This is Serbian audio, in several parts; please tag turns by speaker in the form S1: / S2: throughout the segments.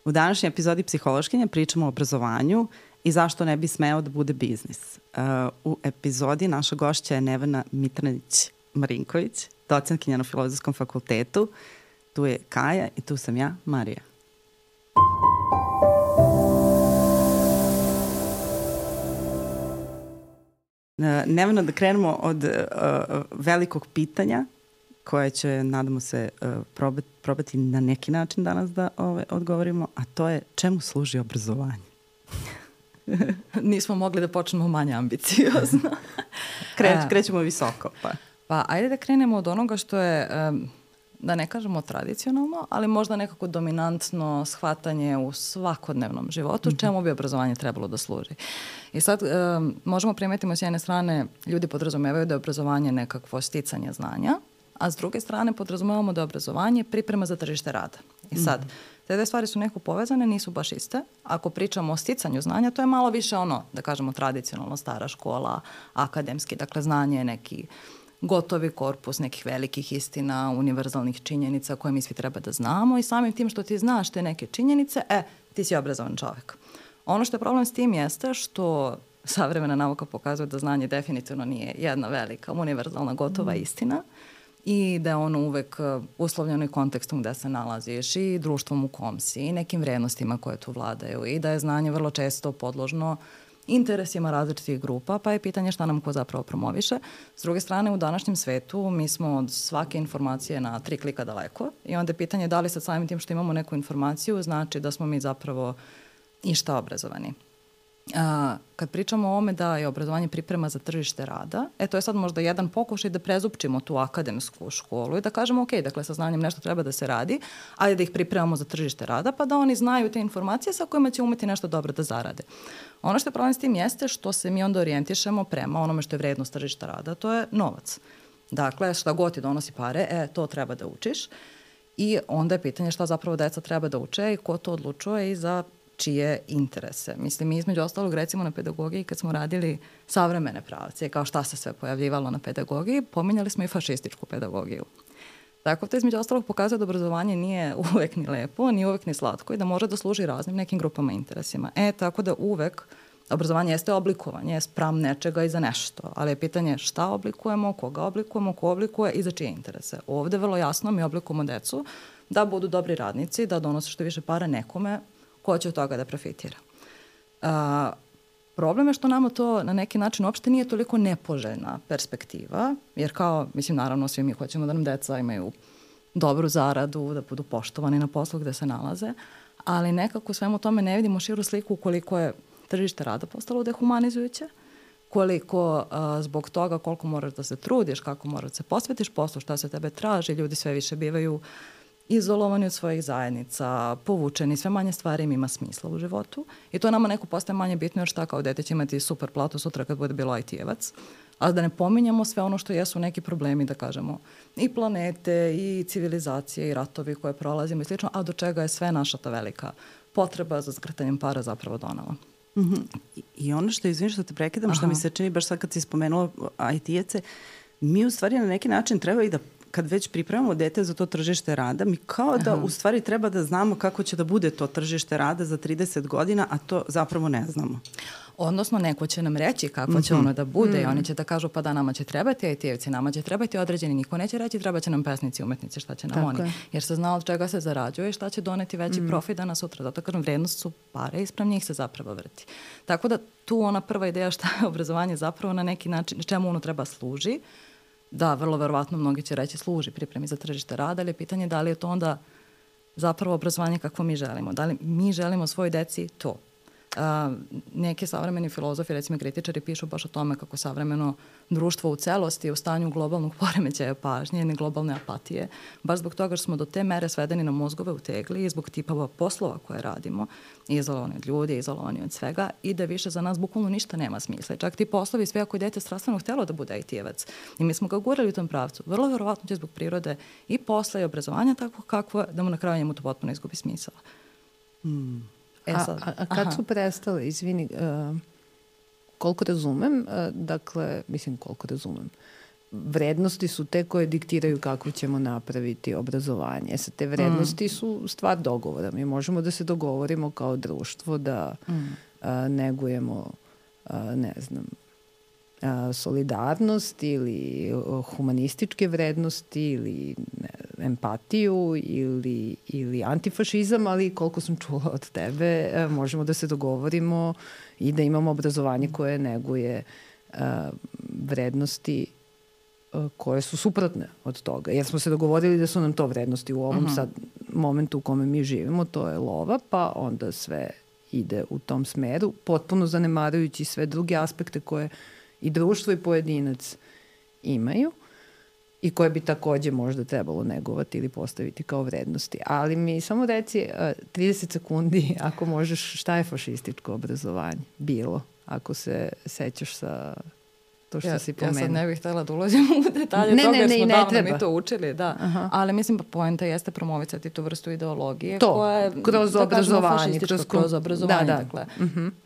S1: U današnjoj epizodi Psihološkinja pričamo o obrazovanju i zašto ne bi smeo da bude biznis. U epizodi naša gošća je Nevena Mitranić-Marinković, docentkinja na Filozofskom fakultetu. Tu je Kaja i tu sam ja, Marija. Nevena, da krenemo od velikog pitanja koje će, nadamo se, probati na neki način danas da odgovorimo, a to je čemu služi obrazovanje?
S2: Nismo mogli da počnemo manje ambiciozno.
S1: Krećemo visoko.
S2: Pa ajde da krenemo od onoga što je, da ne kažemo tradicionalno, ali možda nekako dominantno shvatanje u svakodnevnom životu, čemu bi obrazovanje trebalo da služi. I sad možemo primetimo s jedne strane, ljudi podrazumevaju da je obrazovanje nekakvo sticanje znanja, a s druge strane podrazumevamo da je obrazovanje priprema za tržište rada. I sad, te dve stvari su neko povezane, nisu baš iste. Ako pričamo o sticanju znanja, to je malo više ono, da kažemo, tradicionalno stara škola, akademski, dakle znanje je neki gotovi korpus nekih velikih istina, univerzalnih činjenica koje mi svi treba da znamo i samim tim što ti znaš te neke činjenice, ti si obrazovan čovjek. Ono što je problem s tim jeste što savremena nauka pokazuje da znanje definitivno nije jedna velika, univerzalna, gotova istina i da je ono uvek uslovljeno i kontekstom gde se nalaziš i društvom u kom si i nekim vrednostima koje tu vladaju i da je znanje vrlo često podložno interesima različitih grupa, pa je pitanje šta nam ko zapravo promoviše. S druge strane, u današnjem svetu mi smo od svake informacije na 3 klika daleko i onda je pitanje da li sad samim tim što imamo neku informaciju znači da smo mi zapravo i šta obrazovani. Kad pričamo o ovome da je obrazovanje priprema za tržište rada, to je sad možda jedan pokušaj da prezupčimo tu akademsku školu i da kažemo ok, dakle sa znanjem nešto treba da se radi, ali da ih pripremamo za tržište rada pa da oni znaju te informacije sa kojima će umeti nešto dobro da zarade. Ono što je problem s tim jeste što se mi onda orijentišemo prema onome što je vrednost tržišta rada, to je novac. Dakle, šta god ti donosi pare, to treba da učiš i onda je pitanje šta zapravo deca treba da uče i ko to odlučuje i za čije interese. Mislim, mi između ostalog recimo na pedagogiji kad smo radili savremene pravce, kao šta se sve pojavljivalo na pedagogiji, pominjali smo i fašističku pedagogiju. Tako to između ostalog pokazuje da obrazovanje nije uvek ni lepo, ni uvek ni slatko i da može da služi raznim nekim grupama i interesima. Tako da uvek obrazovanje jeste oblikovanje, spram nečega i za nešto, ali je pitanje šta oblikujemo, koga oblikujemo, ko oblikuje i za čije interese. Ovde vrlo jasno mi oblikujemo decu da budu dobri radnici, da donose što više para nekome ko će od toga da profitira. Problem je što nama to na neki način uopšte nije toliko nepoželjna perspektiva, jer kao, mislim, naravno svi mi hoćemo da nam deca imaju dobru zaradu, da budu poštovani na poslu gde se nalaze, ali nekako svemu tome ne vidimo širu sliku koliko je tržište rada postalo dehumanizujuće, koliko zbog toga koliko moraš da se trudiš, kako moraš da se posvetiš poslu, šta se tebe traži, ljudi sve više bivaju izolovani od svojih zajednica, povučeni, sve manje stvari im ima smisla u životu i to nama neko postaje manje bitno jer šta kao dete će imati super platu sutra kad bude bilo IT-evac, a da ne pominjamo sve ono što jesu neki problemi, da kažemo, i planete, i civilizacije, i ratovi koje prolazimo i slično, a do čega je sve naša ta velika potreba za zgrtanjem para zapravo donala.
S1: I ono što, izvini što te prekidam, što mi se čini baš sad kad si spomenula IT-ece, mi u stvari na neki način treba i da kad već pripremamo dete za to tržište rada, mi kao da u stvari treba da znamo kako će da bude to tržište rada za 30 godina, a to zapravo ne znamo.
S2: Odnosno, neko će nam reći kako će ono da bude i oni će da kažu pa da nama će trebati IT-evci, nama će trebati određeni, niko neće reći treba će nam pesnici, umetnici, šta će nam oni. Jer se zna od čega se zarađuje i šta će doneti veći profit danas sutra. Zato kažem, vrednost su pare i sprem njih se zapravo vrti. Tako da tu ona prva ideja šta je obrazovanje zapravo na neki način, čemu ono treba služi. Da, vrlo verovatno mnogi će reći služi pripremi za tržište rada, ali je pitanje da li je to onda zapravo obrazovanje kakvo mi želimo. Da li mi želimo svojoj deci to? Neki savremeni filozofi, recimo kritičari, pišu baš o tome kako savremeno društvo u celosti je u stanju globalnog poremećaja pažnje ili globalne apatije, baš zbog toga što smo do te mere svedeni na mozgove u tegli i zbog tipova poslova koje radimo, izolovani od ljudi, izolovani od svega i da više za nas bukvalno ništa nema smisla. Čak ti poslovi, sve ako je dete strastveno htjelo da bude IT-evac i mi smo ga gurali u tom pravcu, vrlo verovatno će zbog prirode i posla i obrazovanja tako kakvo da mu na kraju njemu to potpuno izgubi smisla.
S3: A kad su prestale, izvini, koliko razumem, vrednosti su te koje diktiraju kako ćemo napraviti obrazovanje. Sad, te vrednosti su stvar dogovora. Mi možemo da se dogovorimo kao društvo da negujemo, ne znam, solidarnost ili humanističke vrednosti ili empatiju ili antifašizam, ali koliko sam čula od tebe, možemo da se dogovorimo i da imamo obrazovanje koje neguje vrednosti koje su suprotne od toga. Jer smo se dogovorili da su nam to vrednosti u ovom sad momentu u kome mi živimo, to je lova, pa onda sve ide u tom smeru, potpuno zanemarujući sve druge aspekte koje i društvo i pojedinac imaju i koje bi takođe možda trebalo negovati ili postaviti kao vrednosti. Ali mi samo reci 30 sekundi, ako možeš, šta je fašističko obrazovanje bilo, ako se sećaš sa to što si pomenuo.
S2: Ja sad ne bih htjela da ulazim u detalje toga jer smo davno mi to učili, da. Ali mislim, poenta jeste promovicati tu vrstu ideologije koja je,
S3: kroz obrazovanje.
S2: Kroz obrazovanje, dakle.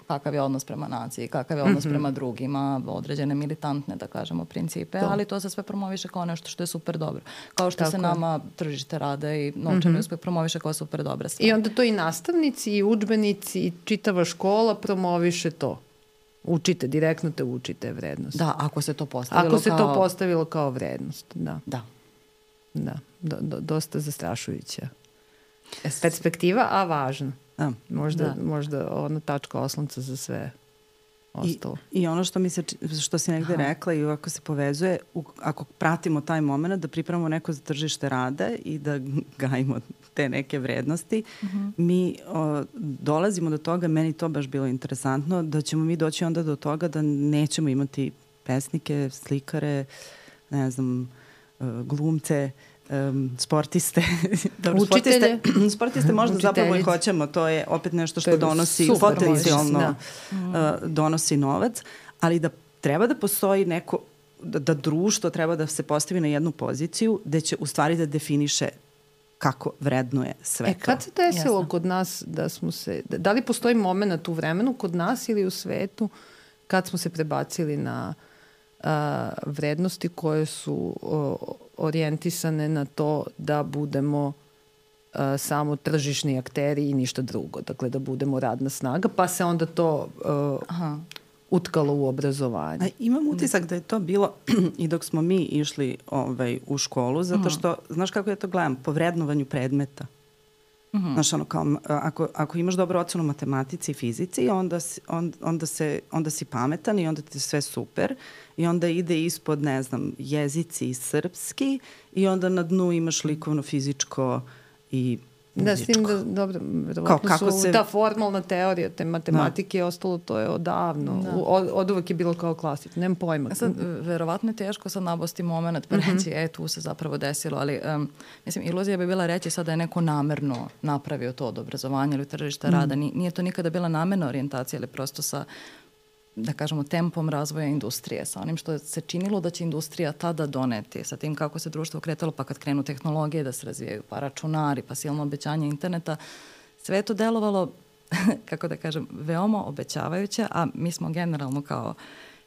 S2: Kakav je odnos prema naciji, kakav je odnos prema drugima, određene militantne, da kažemo, principe, ali to se sve promoviše kao nešto što je super dobro. Kao što se nama tržište rada i novčani uspeh promoviše kao super dobra stvar.
S3: I onda to i nastavnici, i udžbenici, i čitava škola promoviše to. Učite, direktno te učite vrednost.
S2: Da, ako se to postavilo
S3: kao vrednost, da. Da, dosta zastrašujuća perspektiva, a važna. Možda ona tačka oslonca za sve ostalo.
S1: I ono što si negde rekla i ovako se povezuje, ako pratimo taj moment da pripremamo neko za tržište rada i da gajimo te neke vrednosti, mi dolazimo do toga, meni to baš bilo interesantno, da ćemo mi doći onda do toga da nećemo imati pesnike, slikare, ne znam, glumce, sportiste.
S3: Učitelje.
S1: Sportiste možda zapravo i hoćemo, to je opet nešto što donosi potencijalno donosi novac, ali da treba da postoji neko, da društvo treba da se postavi na jednu poziciju gde će u stvari da definiše kako vrednuje sve to.
S3: Kad se desilo kod nas da smo se, da li postoji moment u vremenu kod nas ili u svetu kad smo se prebacili na vrednosti koje su orijentisane na to da budemo samo tržišni akteri i ništa drugo. Dakle, da budemo radna snaga, pa se onda to utkalo u obrazovanje.
S1: Imam utisak da je to bilo i dok smo mi išli u školu, zato što, znaš kako ja to gledam, po vrednovanju predmeta. Znaš, ono, kao, ako imaš dobru ocenu u matematici i fizici, onda si pametan i onda ti je sve super i onda ide ispod, ne znam, jezici i srpski i onda na dnu imaš likovno, fizičko i muzičko.
S3: Da, s tim da, dobro, verovatno su ta formalna teorija te matematike je ostalo, to je odavno. Od uvek je bilo kao klasično, nemam pojma.
S2: Sad, verovatno je teško sad nabosti moment pa reći, tu se zapravo desilo, ali mislim, iluzija bi bila reći sad da je neko namerno napravio to od obrazovanja ili tržišta rada. Nije to nikada bila namerna orijentacija, ali prosto sa, da kažemo, tempom razvoja industrije, sa onim što se činilo da će industrija tada doneti, sa tim kako se društvo kretalo, pa kad krenu tehnologije da se razvijaju, pa računari, pa silno obećanje interneta, sve je to delovalo, kako da kažem, veoma obećavajuće, a mi smo generalno kao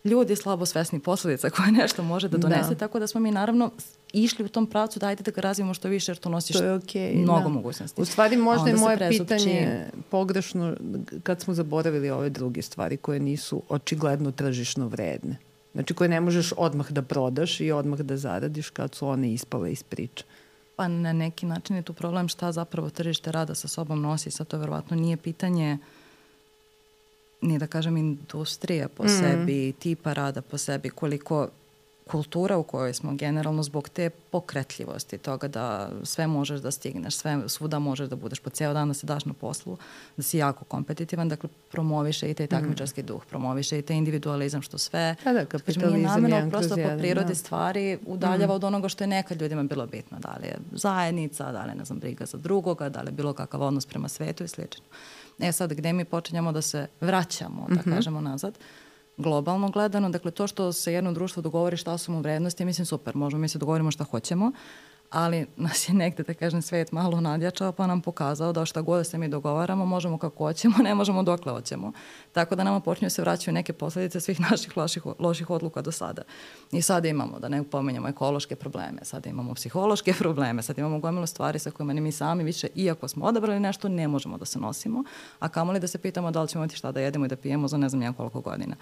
S2: ljudi slabo svesni posledica koje nešto može da donese, tako da smo mi naravno išli u tom pravcu da ajde da ga razvijemo što više jer to nosi mnogo mogućnosti.
S3: U stvari možda je moje pitanje pogrešno kad smo zaboravili ove druge stvari koje nisu očigledno tržišno vredne. Znači koje ne možeš odmah da prodaš i odmah da zaradiš kad su one ispale iz priče.
S2: Pa na neki način je tu problem šta zapravo tržište rada sa sobom nosi. Sad to verovatno nije pitanje ni da kažem industrija po sebi, tipa rada po sebi, koliko kultura u kojoj smo generalno zbog te pokretljivosti toga da sve možeš da stigneš, svuda možeš da budeš po ceo dan da se daš na poslu, da si jako kompetitivan, dakle promoviše i taj takmičarski duh, promoviše i taj individualizam što sve.
S3: Kapitalizam je
S2: namjerno prosto po prirodi stvari udaljava od onoga što je nekad ljudima bilo bitno. Da li je zajednica, da li je, ne znam, briga za drugoga, da li je bilo kakav odnos prema svetu i slično. Sad, gde mi počinjamo da se vraćamo, da kažemo nazad, globalno gledano, dakle to što se jedno društvo dogovori šta su mu vrednosti, mislim super, možemo mi se dogovorimo šta hoćemo, ali nas je negde, da kažem, svet malo nadjačao pa nam pokazao da šta god se mi dogovaramo, možemo kako hoćemo, ne možemo dokle hoćemo. Tako da nama počinju se vraćaju neke posledice svih naših loših odluka do sada. I sada imamo, da ne pominjamo ekološke probleme, sada imamo psihološke probleme, sada imamo gomilu stvari sa kojima ni mi sami više, iako smo odabrali nešto, ne možemo da se nosimo, a kamoli da se pitamo da li ćemo imati šta da jedemo i da pijemo za ne znam koliko godina.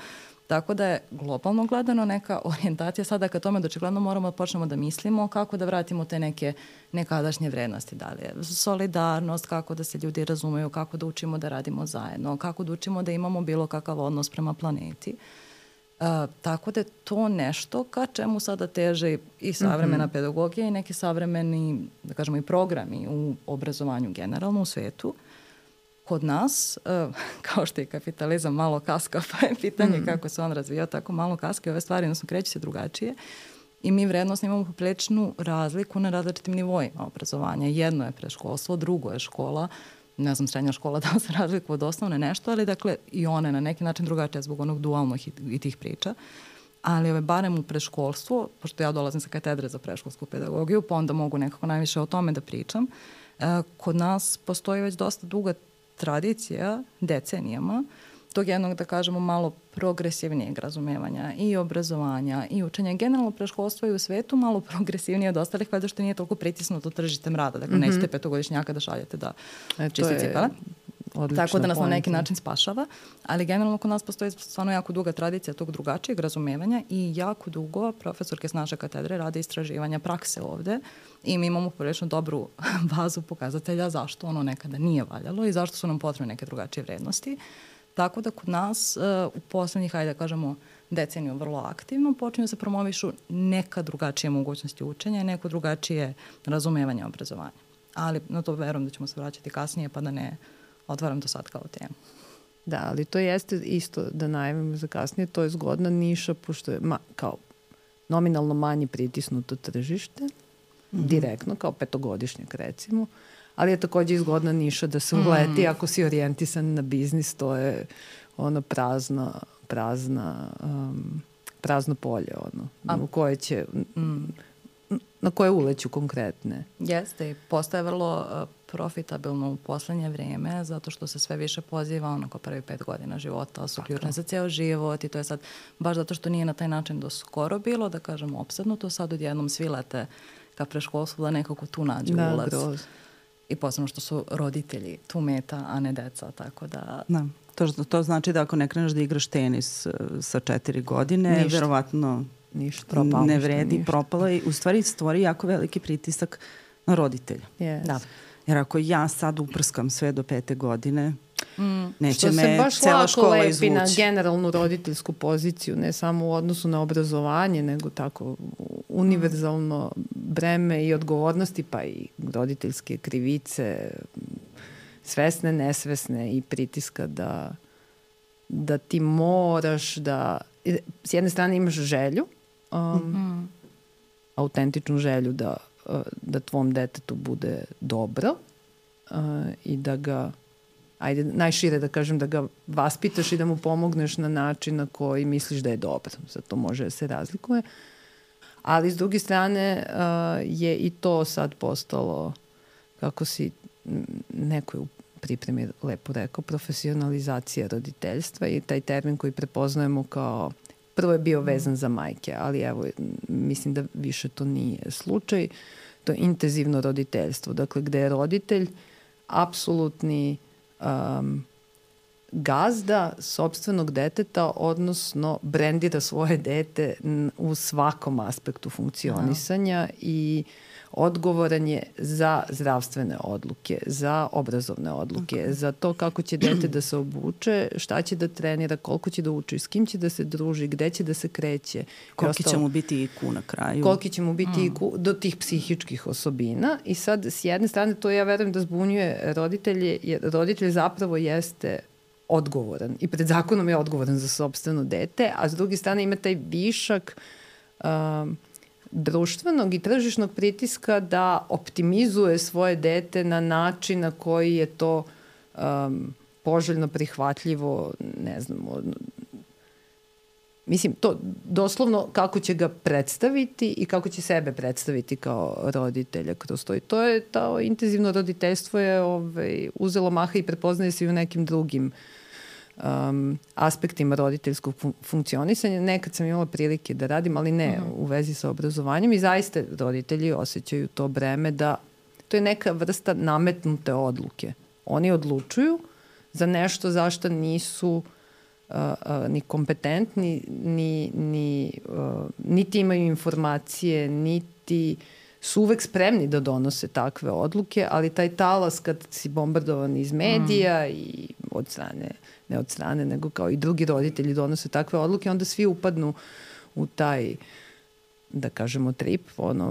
S2: Tako da je globalno gledano neka orijentacija sada ka tome da očigledno moramo da počnemo da mislimo kako da vratimo te neke nekadašnje vrednosti. Da li je solidarnost, kako da se ljudi razumeju, kako da učimo da radimo zajedno, kako da učimo da imamo bilo kakav odnos prema planeti. Tako da je to nešto ka čemu sada teže i savremena pedagogija i neki savremeni, da kažemo, i programi u obrazovanju generalno u svetu. Kod nas, kao što je kapitalizam malo kaska, pa je pitanje kako se on razvijao, tako malo kaska i ove stvari, odnosno kreće se drugačije. I mi vrednosno imamo popriličnu razliku na različitim nivoima obrazovanja. Jedno je predškolstvo, drugo je škola, ne znam, srednja škola da se razlikuje od osnovne nešto, ali dakle i one na neki način drugačije zbog onog dualnog i tih priča. Ali barem u predškolstvu, pošto ja dolazim sa katedre za predškolsku pedagogiju, pa onda mogu nekako najviše o tome da pričam, kod nas postoji već dosta duga tradicija decenijama tog jednog, da kažemo, malo progresivnijeg razumevanja i obrazovanja i učenja. Generalno predškolstvo i u svetu malo progresivnije od ostalih, kada što nije toliko pritisnuto tržištem rada. Dakle, nećete petogodišnjaka da šaljete da čisti cipele. Tako da nas na neki način spašava. Ali generalno kod nas postoji stvarno jako duga tradicija tog drugačijeg razumevanja i jako dugo profesorke s naše katedre rade istraživanja prakse ovde i mi imamo prilično dobru bazu pokazatelja zašto ono nekada nije valjalo i zašto su nam potrebne neke drugačije vrednosti. Tako da kod nas u poslednjih, hajde da kažemo, deceniju vrlo aktivno počinju se promovišu neka drugačije mogućnosti učenja i neko drugačije razumevanje obrazovanja. Ali na to verujem da ćemo se vraćati kasnije pa da ne otvaram to sad kao temu.
S3: Da, ali to jeste isto da najavimo za kasnije, to je zgodna niša pošto je kao nominalno manje pritisnuto tržište, direktno, kao petogodišnjak recimo, ali je takođe izgodna niša da se uleti ako si orijentisan na biznis, to je ono prazno polje, ono, u koje će, na koje uleću konkretne.
S2: Jeste, i postaje vrlo profitabilno u poslednje vreme, zato što se sve više poziva onako prvi 5 godina života, su ključne za ceo život i to je sad, baš zato što nije na taj način do skoro bilo, da kažemo, opsednuto, sad odjednom svi lete ka predškolstvu da nekako tu nađu ulaz. Groz. I posebno što su roditelji tu meta, a ne deca, tako da...
S1: Da. To znači da ako ne kreneš da igraš tenis sa 4 godine, verovatno ne vredi, propalo i u stvari stvori jako veliki pritisak na roditelja.
S3: Yes.
S1: Da. Jer ako ja sad uprskam sve do 5. godine, neće me cela škola izvući.
S3: Što se baš lepi na generalnu roditeljsku poziciju, ne samo u odnosu na obrazovanje, nego tako univerzalno breme i odgovornosti, pa i roditeljske krivice, svesne, nesvesne i pritiska da ti moraš da... S jedne strane imaš želju, autentičnu želju da tvom detetu bude dobro i da ga, ajde najšire da kažem, da ga vaspitaš i da mu pomogneš na način na koji misliš da je dobro. Sad to može da se razlikuje. Ali s druge strane je i to sad postalo, kako si neko je u pripremi lepo rekao, profesionalizacija roditeljstva i taj termin koji prepoznajemo kao, prvo je bio vezan za majke, ali evo, mislim da više to nije slučaj. To je intenzivno roditeljstvo, dakle gde je roditelj apsolutni gazda sopstvenog deteta, odnosno brendira svoje dete u svakom aspektu funkcionisanja i odgovoran je za zdravstvene odluke, za obrazovne odluke, za to kako će dete da se obuče, šta će da trenira, koliko će da uči, s kim će da se druži, gde će da se kreće.
S1: Koliki će mu biti IQ na kraju.
S3: Koliki će mu biti IQ do tih psihičkih osobina. I sad, s jedne strane, to ja verujem da zbunjuje roditelje, jer roditelj zapravo jeste odgovoran i pred zakonom je odgovoran za sopstveno dete, a s druge strane ima taj višak društvenog i tržišnog pritiska da optimizuje svoje dete na način na koji je to poželjno prihvatljivo, ne znam, Mislim, to doslovno kako će ga predstaviti i kako će sebe predstaviti kao roditelja kroz to. I to intenzivno roditeljstvo je uzelo maha i prepoznaje se i u nekim drugim aspektima roditeljskog funkcionisanja. Nekad sam imala prilike da radim, ali ne u vezi sa obrazovanjem i zaista roditelji osjećaju to breme da to je neka vrsta nametnute odluke. Oni odlučuju za nešto zašto nisu ni kompetentni, niti imaju informacije, niti su uvek spremni da donose takve odluke, ali taj talas kad si bombardovan iz medija i ne od strane, nego kao i drugi roditelji donose takve odluke, onda svi upadnu u taj, da kažemo, trip,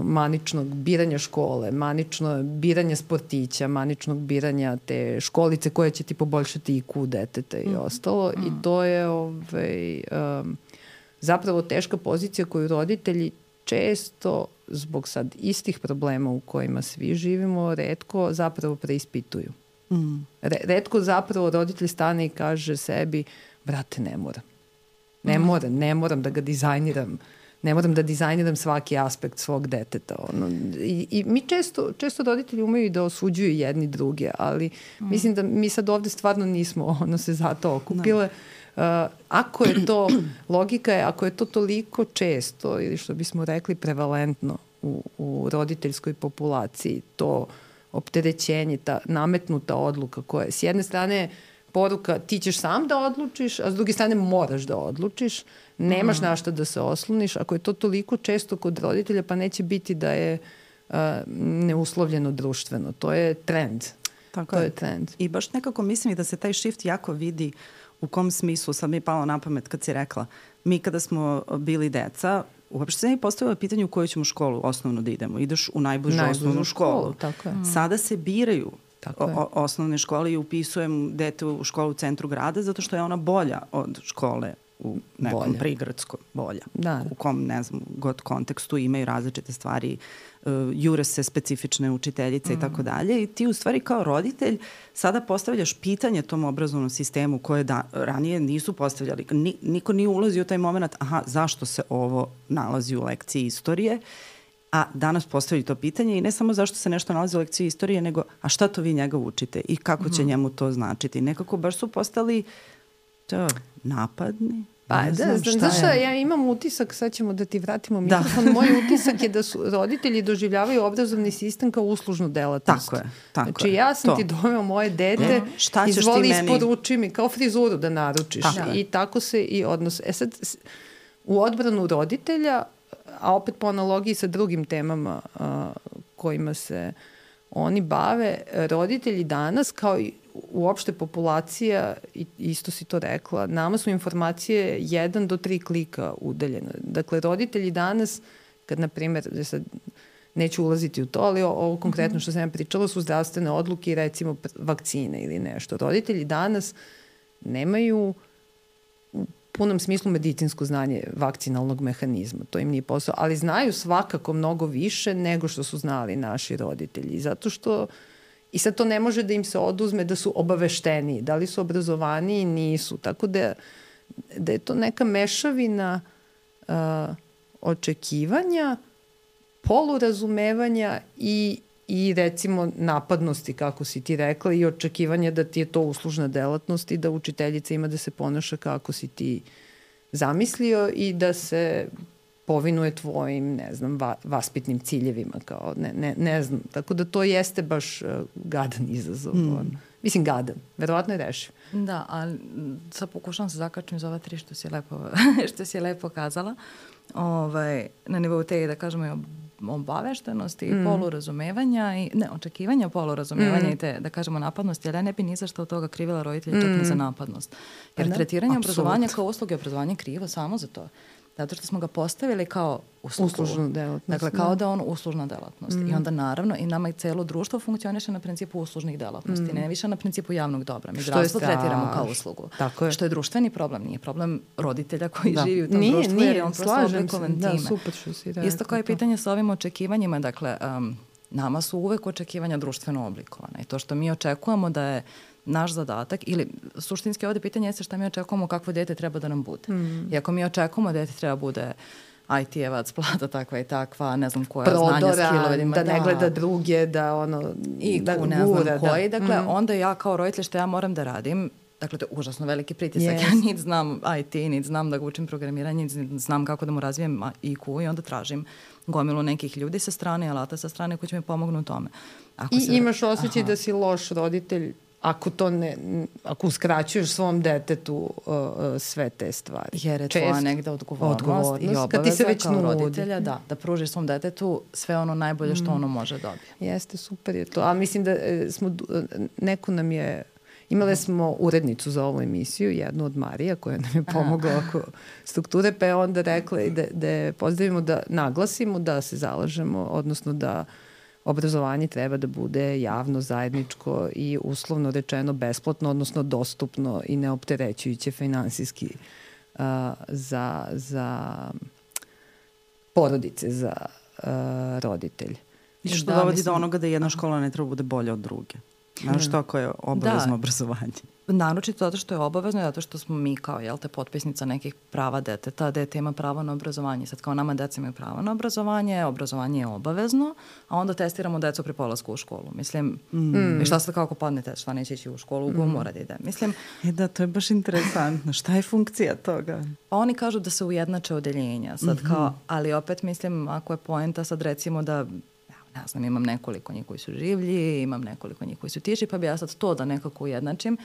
S3: maničnog biranja škole, manično biranja sportića, maničnog biranja te školice koja će ti poboljšati IQ deteta i ostalo. I to je zapravo teška pozicija koju roditelji često, zbog sad istih problema u kojima svi živimo, retko zapravo preispituju. Retko zapravo roditelj stane i kaže sebi, brate, ne moram da ga dizajniram. Ne moram da dizajniram svaki aspekt svog deteta. I mi često roditelji umeju i da osuđuju jedni druge, ali mislim da mi sad ovde stvarno nismo se zato okupile. Ako je to, logika je, ako je to toliko često, ili što bismo rekli prevalentno u roditeljskoj populaciji, to opterećenje, ta nametnuta odluka koja je s jedne strane poruka ti ćeš sam da odlučiš, a s druge strane moraš da odlučiš, nemaš na šta da se osloniš. Ako je to toliko često kod roditelja, pa neće biti da je neuslovljeno društveno. To je trend.
S1: Tako je trend. I baš nekako mislim i da se taj shift jako vidi u kom smislu. Sad mi je palo na pamet kad si rekla, mi kada smo bili deca, uopšte se ne postavilo pitanje u koju ćemo školu osnovno da idemo. Ideš u najbližu osnovnu školu.
S3: Tako je.
S1: Sada se biraju osnovne škole i upisujem dete u školu u centru grada zato što je ona bolja od škole u nekom prigradskom, bolja. U kom, ne znam, god kontekstu imaju različite stvari, jure se specifične učiteljice i tako dalje. I ti u stvari kao roditelj sada postavljaš pitanje tom obrazovnom sistemu koje ranije nisu postavljali. Niko nije ulazio u taj moment, zašto se ovo nalazi u lekciji istorije, a danas postavljaju to pitanje i ne samo zašto se nešto nalazi u lekciji istorije, nego a šta to vi njega učite i kako će njemu to značiti. Nekako baš su postali napadni.
S3: Pa znaš šta, ja imam utisak, sad ćemo da ti vratimo mikrofon, moj utisak je da su roditelji doživljavaju obrazovni sistem kao uslužnu delatnost.
S1: Tako je.
S3: Znači ja sam ti doveo moje dete, izvoli isporuči mi, kao frizuru da naručiš. I tako se i odnose. Sad, u odbranu roditelja, a opet po analogiji sa drugim temama kojima se oni bave, roditelji danas, kao i uopšte populacija, isto si to rekla, nama su informacije 1 do 3 klika udaljene. Dakle, roditelji danas, kad, na primjer, neću ulaziti u to, ali ovo konkretno što sam ja pričala su zdravstvene odluke i recimo vakcine ili nešto. Roditelji danas nemaju u punom smislu medicinsko znanje vakcinalnog mehanizma. To im nije posao, ali znaju svakako mnogo više nego što su znali naši roditelji. Zato što i sad to ne može da im se oduzme da su obavešteniji. Da li su obrazovaniji? Nisu. Tako da je to neka mešavina očekivanja, polurazumevanja i recimo napadnosti, kako si ti rekla, i očekivanja da ti je to uslužna delatnost i da učiteljica ima da se ponaša kako si ti zamislio i da se povinuje tvojim, ne znam, vaspitnim ciljevima, kao, ne znam. Tako da to jeste baš gadan izazov. Mislim, gadan. Verovatno je rešiv.
S2: Da, ali sad pokušam se zakačim za ova 3 što si lepo kazala. Na nivou te, da kažemo, obaveštenosti i polurazumevanja i očekivanja polurazumevanja i te, da kažemo, napadnosti, ali ja ne bi ni za što od toga krivila roditelja čak ni za napadnost. Jer tretiranje obrazovanja kao usluge obrazovanja je krivo samo za to. Zato što smo ga postavili kao
S3: uslužnu delatnost.
S2: Dakle, kao da je on uslužna delatnost. I onda naravno i nama i celo društvo funkcioniše na principu uslužnih delatnosti, ne više na principu javnog dobra. Mi zdravstvo tretiramo kao uslugu.
S3: Tako je.
S2: Što je društveni problem, nije problem roditelja koji živi u tom društvu, jer je on prosto oblikovan time.
S3: Da, super što si rekao.
S2: Isto kao i pitanje sa ovim očekivanjima, dakle, nama su uvek očekivanja društveno oblikovane. I to što mi očekujemo da je naš zadatak, ili suštinski ovde pitanje jeste šta mi očekujemo kakvo dete treba da nam bude. I ako mi očekujemo da dete treba bude IT-evac, plata takva i takva, ne znam koja znanja, skillove,
S3: da ne gleda druge, da
S2: da ne znam koji. Dakle, onda ja kao roditelj što ja moram da radim, dakle, to je užasno veliki pritisak. Ja niti znam IT, niti znam da ga učim programiranje, niti znam kako da mu razvijem IQ i onda tražim gomilu nekih ljudi sa strane, alata sa strane koji će mi pomognu u tome.
S3: Imaš osjećaj da si loš roditelj ako uskraćuješ svom detetu sve te stvari.
S2: Jer je tvoja negde odgovornost i obaveza kao roditelja da pružiš svom detetu sve ono najbolje što ono može dobiti.
S3: Jeste, super je to. A mislim da neko nam je... Imali smo urednicu za ovu emisiju, jednu od Marija, koja nam je pomogla oko strukture, pa je onda rekla da pozdravimo, da naglasimo, da se zalažemo, odnosno da obrazovanje treba da bude javno, zajedničko i uslovno rečeno besplatno, odnosno dostupno i neopterećujuće finansijski za porodice, za roditelje.
S1: I što dovodi do onoga da jedna škola ne treba bude bolja od druge. Znaš to ako je obavezno obrazovanje?
S2: Naročito zato što je obavezno i zato što smo mi kao, potpisnica nekih prava deteta. Dete ima pravo na obrazovanje. Sad kao nama deca imaju pravo na obrazovanje, obrazovanje je obavezno, a onda testiramo decu pri polasku u školu. Mislim, i šta sad kako padne test, šta neće ići u školu, mora da ide. Mislim,
S1: da, to je baš interesantno. Šta je funkcija toga?
S2: Pa oni kažu da se ujednače odeljenja. Sad kao, ali opet mislim, ako je poenta sad recimo da ne znam, imam nekoliko njih koji su življi, imam nekoliko njih koji su tiši, pa bi ja sad to da nekako ujednačim.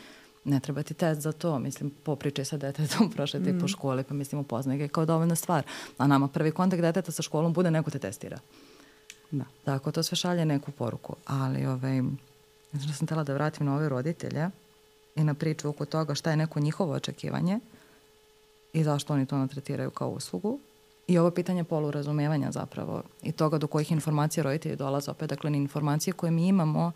S2: Ne treba ti test za to, mislim, popričaj sa detetom, prošeti po školi, pa mislim, upoznaj ga kao dovoljna stvar. A nama prvi kontakt deteta sa školom bude neko te testira. Da. Tako, to sve šalje neku poruku. Ali, znači, sam htjela da vratim na ove roditelje i na priču oko toga šta je neko njihovo očekivanje i zašto oni to natretiraju kao uslugu. I ovo pitanje polurazumevanja zapravo i toga do kojih informacija roditelji dolaze opet. Dakle, informacije koje mi imamo,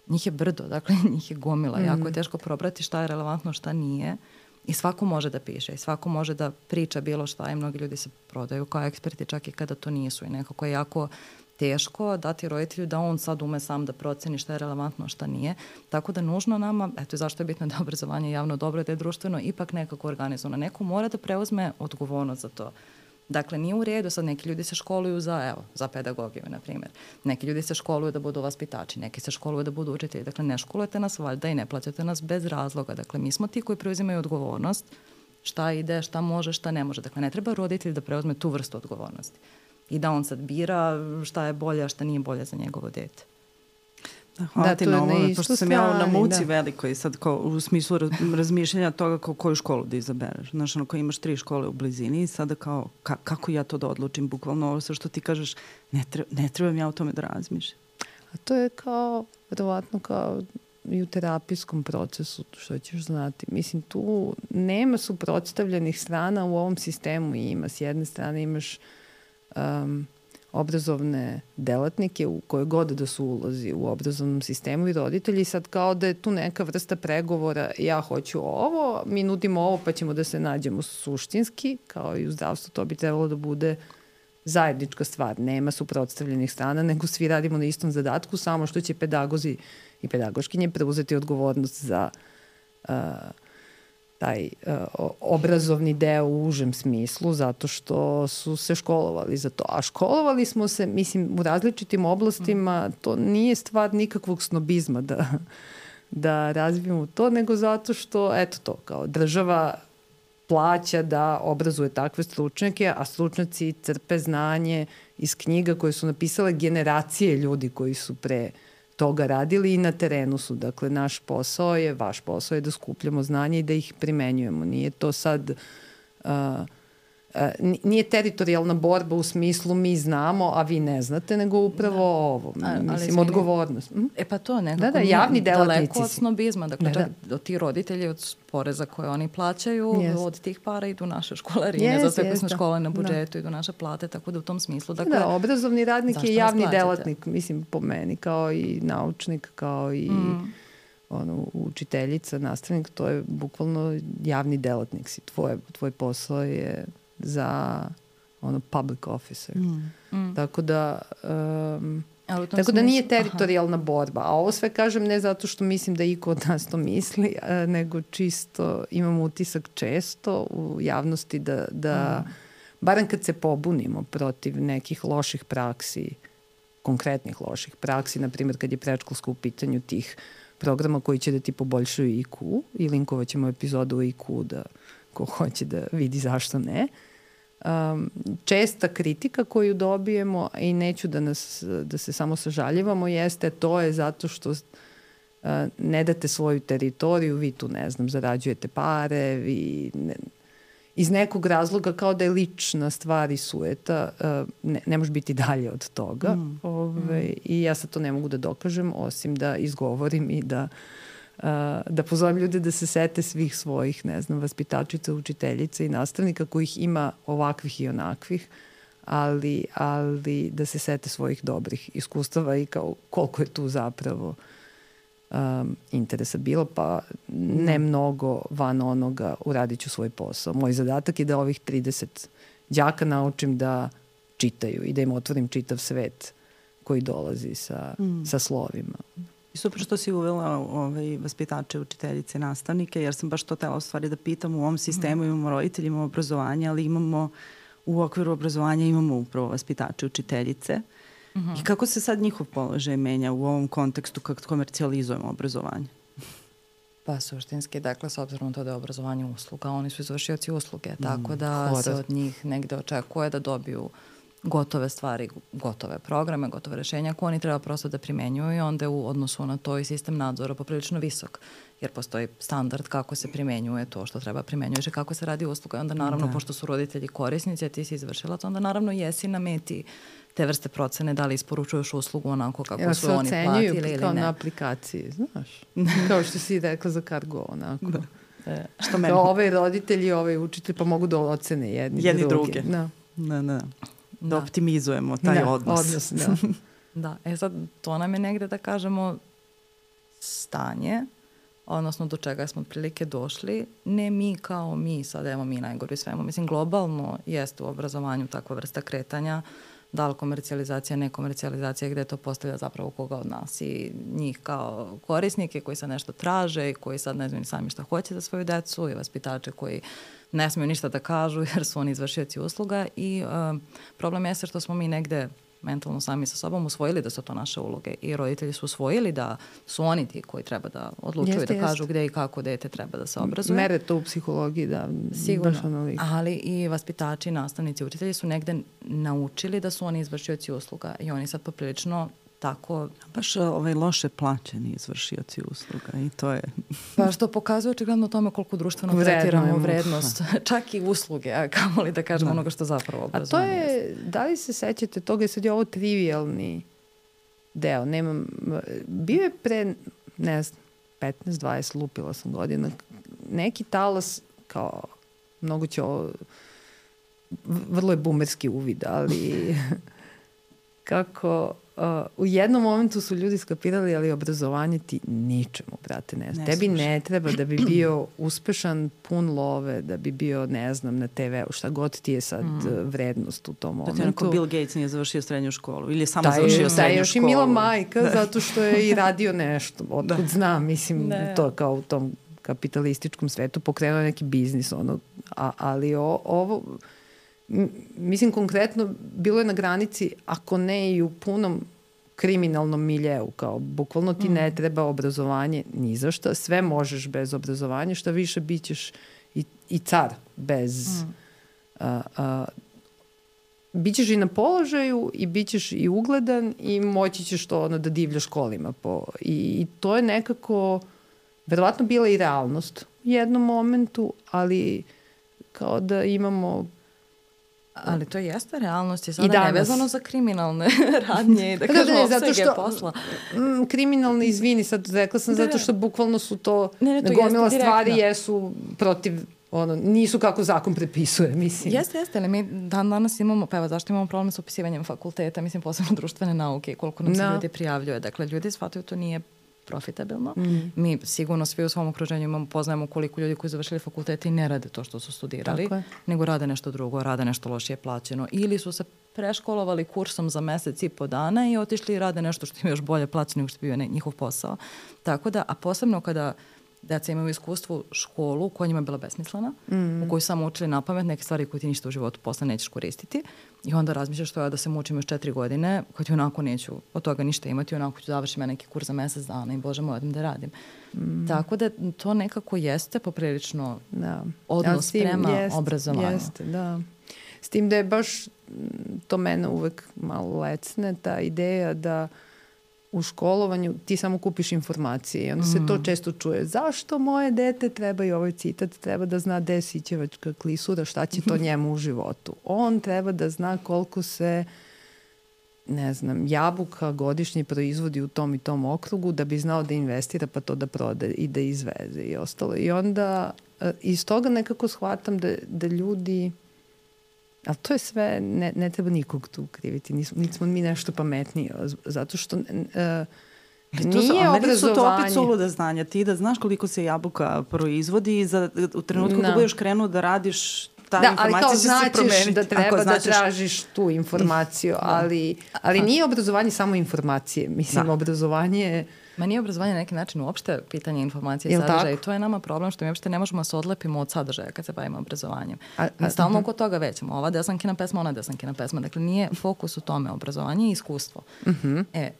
S2: njih je brdo, dakle, njih je gomila. Jako je teško probrati šta je relevantno, šta nije. I svako može da piše i svako može da priča bilo šta i mnogi ljudi se prodaju kao eksperti čak i kada to nisu. I nekako je jako teško dati roditelju da on sad ume sam da proceni šta je relevantno, šta nije. Tako da nužno nama, eto zašto je bitno da je obrazovanje javno dobro, da je društveno ipak nekako organizovano. Neko mora da preuzme odgovornost za to. Dakle, nije u redu, sad neki ljudi se školuju za pedagogiju, na primjer. Neki ljudi se školuju da budu vaspitači, neki se školuju da budu učitelji. Dakle, ne školujete nas valjda i ne plaćate nas bez razloga. Dakle, mi smo ti koji preuzimaju odgovornost, šta ide, šta može, šta ne može. Dakle, ne treba roditelj da preuzme tu vrstu odgovornosti. I da on sad bira šta je bolje, a šta nije bolje za njegovo dete.
S1: Hvala ti na ovome, pošto sam ja na muci velikoj sad u smislu razmišljanja toga koju školu da izabereš. Znaš, ako imaš 3 škole u blizini i sada kao kako ja to da odlučim, bukvalno ovo sve što ti kažeš, ne trebam ja o tome da razmišljam.
S3: A to je kao, verovatno kao i u terapijskom procesu, što ćeš znati. Mislim, tu nema suprotstavljenih strana u ovom sistemu. Ima, s jedne strane imaš obrazovne delatnike u koje god da su ulozi u obrazovnom sistemu i roditelji, sad kao da je tu neka vrsta pregovora, ja hoću ovo, mi nudimo ovo pa ćemo da se nađemo suštinski, kao i u zdravstvu, to bi trebalo da bude zajednička stvar. Nema suprotstavljenih strana, nego svi radimo na istom zadatku, samo što će pedagozi i pedagoškinje preuzeti odgovornost za taj obrazovni deo u užem smislu, zato što su se školovali za to. A školovali smo se, mislim, u različitim oblastima, to nije stvar nikakvog snobizma da razvijemo to, nego zato što, eto to, kao država plaća da obrazuje takve stručnjake, a stručnjaci crpe znanje iz knjiga koje su napisale generacije ljudi koji su pre toga radili i na terenu su. Dakle, naš posao je, vaš posao je da skupljamo znanje i da ih primenjujemo. Nije to sad... nije teritorijalna borba u smislu mi znamo, a vi ne znate, nego upravo ovo. Mislim, odgovornost.
S2: Pa to nekako
S3: javni delatnici
S2: daleko od snobizma. Dakle, čak od ti roditelji, od poreza koje oni plaćaju, od tih para idu naše školarine, za sve koje smo škole na budžetu, idu naše plate, tako da u tom smislu. Dakle,
S3: obrazovni radnik je javni delatnik, mislim, po meni, kao i naučnik, kao i učiteljica, nastavnik, to je bukvalno javni delatnik si. Tvoj posao je za public officer. Tako da... Tako da nije teritorijalna borba. A ovo sve kažem ne zato što mislim da iko od nas to misli, nego čisto imam utisak često u javnosti da barem kad se pobunimo protiv nekih loših praksi, konkretnih loših praksi, na primjer kad je predškolsko u pitanju tih programa koji će da ti poboljšaju IQ i linkovat ćemo epizodu o IQ da ko hoće da vidi zašto ne. Česta kritika koju dobijemo i neću da se samo sažaljivamo jeste to je zato što ne date svoju teritoriju, vi tu ne znam, zarađujete pare, vi iz nekog razloga kao da je lična stvar i sueta, ne može biti dalje od toga. I ja sad to ne mogu da dokažem, osim da izgovorim i da pozovem ljude da se sete svih svojih, ne znam, vaspitačica, učiteljica i nastavnika kojih ima ovakvih i onakvih, ali da se sete svojih dobrih iskustava i kao koliko je tu zapravo interesa bilo, pa ne mnogo van onoga uradit ću svoj posao. Moj zadatak je da ovih 30 đaka naučim da čitaju i da im otvorim čitav svet koji dolazi sa slovima.
S1: I super što si uvela vaspitače, učiteljice, nastavnike, jer sam baš to tela u stvari da pitam. U ovom sistemu imamo roditelji, imamo obrazovanje, ali imamo u okviru obrazovanja imamo upravo vaspitače, učiteljice. I kako se sad njihov položaj menja u ovom kontekstu kako komercijalizujemo obrazovanje?
S2: Pa suštinski, dakle, s obzirom na to da je obrazovanje usluga, oni su izvršioci usluge, tako da se od njih negde očekuje da dobiju gotove stvari, gotove programe, gotove rešenja koje oni treba prosto da primenjuju i onda je u odnosu na to i sistem nadzora poprilično visok, jer postoji standard kako se primenjuje to što treba primenjuješ i kako se radi usluga. I onda naravno, pošto su roditelji korisnici, a ti si izvršilac, onda naravno jesi na meti te vrste procene, da li isporučuješ uslugu onako kako su oni platili ili ne.
S3: Kao na aplikaciji, znaš. Kao što si rekla za Cargo, onako.
S1: Što meni?
S3: Kao ovaj roditelj i ovaj učitelj, pa mogu da ocene jedni druge.
S1: Da optimizujemo taj odnos.
S2: Da, sad to nam je negde da kažemo stanje, odnosno do čega smo otprilike došli, ne mi kao mi, sad evo mi najgori svemu. Mislim, globalno jeste u obrazovanju takva vrsta kretanja, da li komercijalizacija, nekomercijalizacija, gde to postavlja zapravo koga od nas i njih kao korisnike koji sad nešto traže i koji sad ne znaju sami šta hoće za svoju decu i vaspitače koji ne smiju ništa da kažu jer su oni izvršioci usluga i problem je što smo mi negde mentalno sami sa sobom usvojili da su to naše uloge i roditelji su usvojili da su oni ti koji treba da odlučuju da kažu gde i kako dete treba da se obrazuje.
S3: Mere to u psihologiji, da.
S2: Sigurno, ali i vaspitači, nastavnici, učitelji su negde naučili da su oni izvršioci usluga i oni sad poprilično tako...
S1: Baš loše plaćeni izvršioci usluga i to je...
S2: Pa što pokazuje očigledno tome koliko društveno tretiramo vrednost, čak i usluge, a kamoli da kažemo onoga što zapravo obrazovanje.
S3: A to je, da li se sećate toga, sad je ovo trivialni deo, bio je pre, ne znam, 15-20, lupila sam godina, neki talas, kao, mnogo će ovo, vrlo je bumerski uvid, ali kako... u jednom momentu su ljudi skapirali, ali obrazovanje ti ničemu, brate, ne znam. Tebi ne treba da bi bio uspešan, pun love, da bi bio, ne znam, na TV-u, šta god ti je sad vrednost u tom momentu.
S1: Da ti onako Bill Gates nije završio srednju školu ili je samo završio srednju školu.
S3: Da, još i Mila majka, zato što je i radio nešto. Otkud znam, mislim, to kao u tom kapitalističkom svetu pokrenuo neki biznis, ali ovo... Mislim, konkretno, bilo je na granici, ako ne i u punom kriminalnom miljeu, kao bukvalno ti ne treba obrazovanje ni za šta, sve možeš bez obrazovanja, šta više bit ćeš i car bez... Bićeš i na položaju i bit ćeš i ugledan i moći ćeš to da divljaš kolima. I to je nekako verovatno bila i realnost u jednom momentu, ali kao da imamo...
S2: Ali to jeste realnost je sada nevezano za kriminalne radnje i da kažemo opsege posla.
S3: Kriminalne, izvini, sad rekla sam zato što bukvalno su to gomila stvari jesu protiv, nisu kako zakon prepisuje, mislim.
S2: Jeste, ali mi danas imamo, pa evo zašto imamo problem sa upisivanjem fakulteta, mislim posebno društvene nauke i koliko nam se ljudi prijavljuje. Dakle, ljudi shvataju to nije profitabilno. Mi sigurno svi u svom okruženju poznajemo koliko ljudi koji završili fakultete i ne rade to što su studirali, nego rade nešto drugo, rade nešto lošije plaćeno. Ili su se preškolovali kursom za mesec i po dana i otišli i rade nešto što im još bolje plaćeno nego što je bio njihov posao. Tako da, a posebno kada deca imaju iskustvo školu koja njima je bila besmislena, u kojoj samo učili na pamet neke stvari koje ti ništa u životu posle nećeš koristiti i onda razmišljaš što ja da se mučim još 4 godine kad ti onako neću od toga ništa imati, onako ću završiti ja neki kurs za mesec dana i bože moj, odem da radim. Tako da to nekako jeste poprilično odnos prema obrazovanju.
S3: Jeste, da. S tim da je baš to mene uvek malo lecne, ta ideja da u školovanju ti samo kupiš informacije i onda se to često čuje. Zašto moje dete, treba i ovaj citat, treba da zna gde je sićevačka klisura, šta će to njemu u životu. On treba da zna koliko se, ne znam, jabuka godišnje proizvodi u tom i tom okrugu da bi znao da investira pa to da prode i da izveze i ostalo. I onda iz toga nekako shvatam da ljudi... Ali to je sve, ne treba nikog tu kriviti. Nismo mi nešto pametniji. Zato što nije obrazovanje...
S1: su to opet suluda znanja. Ti da znaš koliko se jabuka proizvodi i u trenutku da budeš krenuo da radiš informacija će se promeniti.
S3: Ali kao značiš da treba da tražiš tu informaciju. Ali nije obrazovanje samo informacije. Mislim, obrazovanje je...
S2: Ma nije obrazovanje na neki način uopšte pitanje informacije i sadržaja i to je nama problem što mi uopšte ne možemo da se odlepimo od sadržaja kad se bavimo obrazovanjem. Mi stalno oko toga većamo. Ova desankina pesma, ona desankina pesma. Dakle, nije fokus u tome obrazovanje i iskustvo.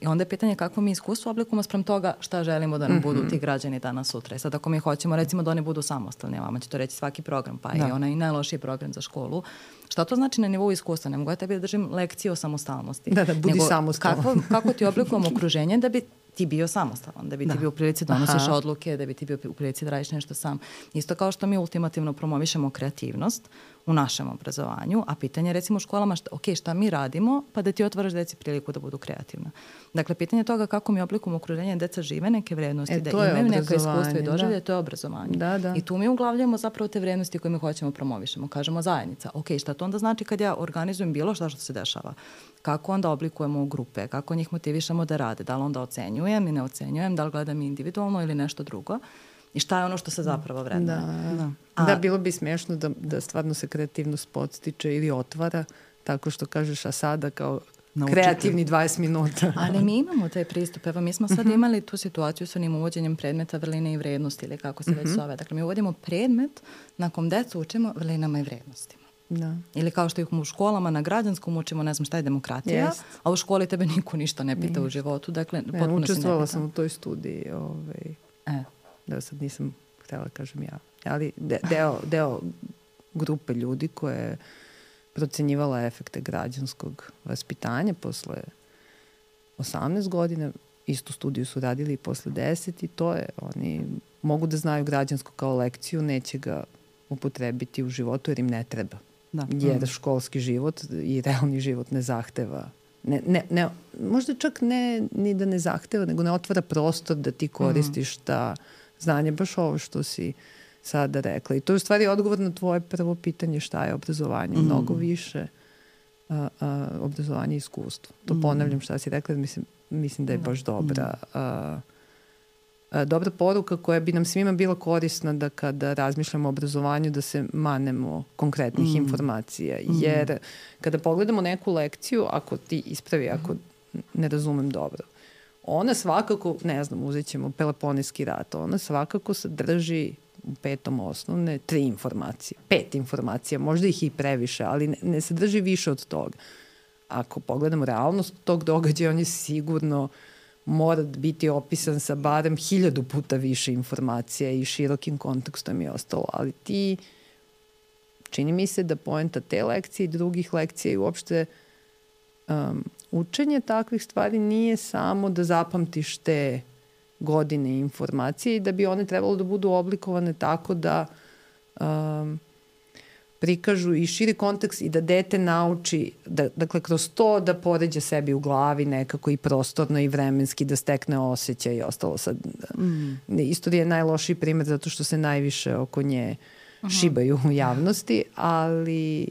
S2: I onda je pitanje kako mi iskustvo oblikujemo sprem toga šta želimo da nam budu ti građani danas sutra. I sad ako mi hoćemo recimo da oni budu samostalni, vama će to reći svaki program, pa i onaj najlošiji program za školu. Šta to znači na nivou iskustva? Ne mogu ja tebi da držim lekcije o samostalnosti.
S3: Da, budi samostalan.
S2: Kako ti oblikujemo okruženje da bi ti bio samostalan, da bi ti bio u prilici da donosiš odluke, da bi ti bio u prilici da radiš nešto sam. Isto kao što mi ultimativno promovišemo kreativnost u našem obrazovanju, a pitanje recimo u školama šta mi radimo, pa da ti otvaraš deci priliku da budu kreativna. Dakle, pitanje toga kako mi oblikujemo okruženje, deca žive neke vrednosti, da imaju neka iskustva i doživlje, to je obrazovanje. I tu mi uglavljamo zapravo te vrednosti koje mi hoćemo promovišemo. Kažemo zajednica. Šta to onda znači kad ja organizujem bilo što se dešava? Kako onda oblikujemo grupe, kako njih motivišemo da rade, da li onda ocenjujem i ne ocenjujem, da li gledam individualno ili nešto drugo i šta je ono što se zapravo vrednuje.
S3: Da, bilo bi smiješno da stvarno se kreativnost podstiče ili otvara tako što kažeš, a sada kao kreativni 20 minuta.
S2: Ali mi imamo taj pristup. Evo, mi smo sad imali tu situaciju sa onim uvođenjem predmeta vrline i vrednosti ili kako se već zove. Dakle, mi uvodimo predmet na kom decu učimo vrlinama i vrednostima.
S3: Da.
S2: Ili kao što ih u školama na građanskom učimo, ne znam šta je demokratija, a u školi tebe niko ništa ne pita u životu. Dakle, potpuno se ne pita.
S3: Učestvovala sam u toj studiji. Da sad nisam htjela kažem ja. Ali deo grupe ljudi koje je procenjivala efekte građanskog vaspitanja posle 18 godina, istu studiju su radili i posle 10 i to je, oni mogu da znaju građansko kao lekciju, neće ga upotrebiti u životu jer im ne treba. Jer školski život i realni život ne zahteva. Možda čak ne ni da ne zahteva, nego ne otvara prostor da ti koristiš ta znanje, baš ovo što si sada rekla. I to je u stvari odgovor na tvoje prvo pitanje šta je obrazovanje. Mnogo više obrazovanje i iskustvo. To ponavljam šta si rekla, mislim da je baš dobra poruka koja bi nam svima bila korisna da kada razmišljamo o obrazovanju da se manemo konkretnih informacija. Jer kada pogledamo neku lekciju, ako ti ispravi, ako ne razumem dobro, ona svakako, ne znam, uzet ćemo Peloponejski rat, ona svakako sadrži u 5. osnovne 3 informacije. 5 informacija, možda ih i previše, ali ne sadrži više od toga. Ako pogledamo realnost tog događaja, on je sigurno mora biti opisan sa barem 1000 puta više informacija i širokim kontekstom i ostalo. Ali čini mi se da poenta te lekcije i drugih lekcija i uopšte učenje takvih stvari nije samo da zapamtiš te godine informacije i da bi one trebalo da budu oblikovane tako da prikažu i širi kontekst i da dete nauči, dakle kroz to da poređa sebi u glavi nekako i prostorno i vremenski, da stekne osjećaj i ostalo. Sad, istorija je najlošiji primjer zato što se najviše oko nje šibaju u javnosti, ali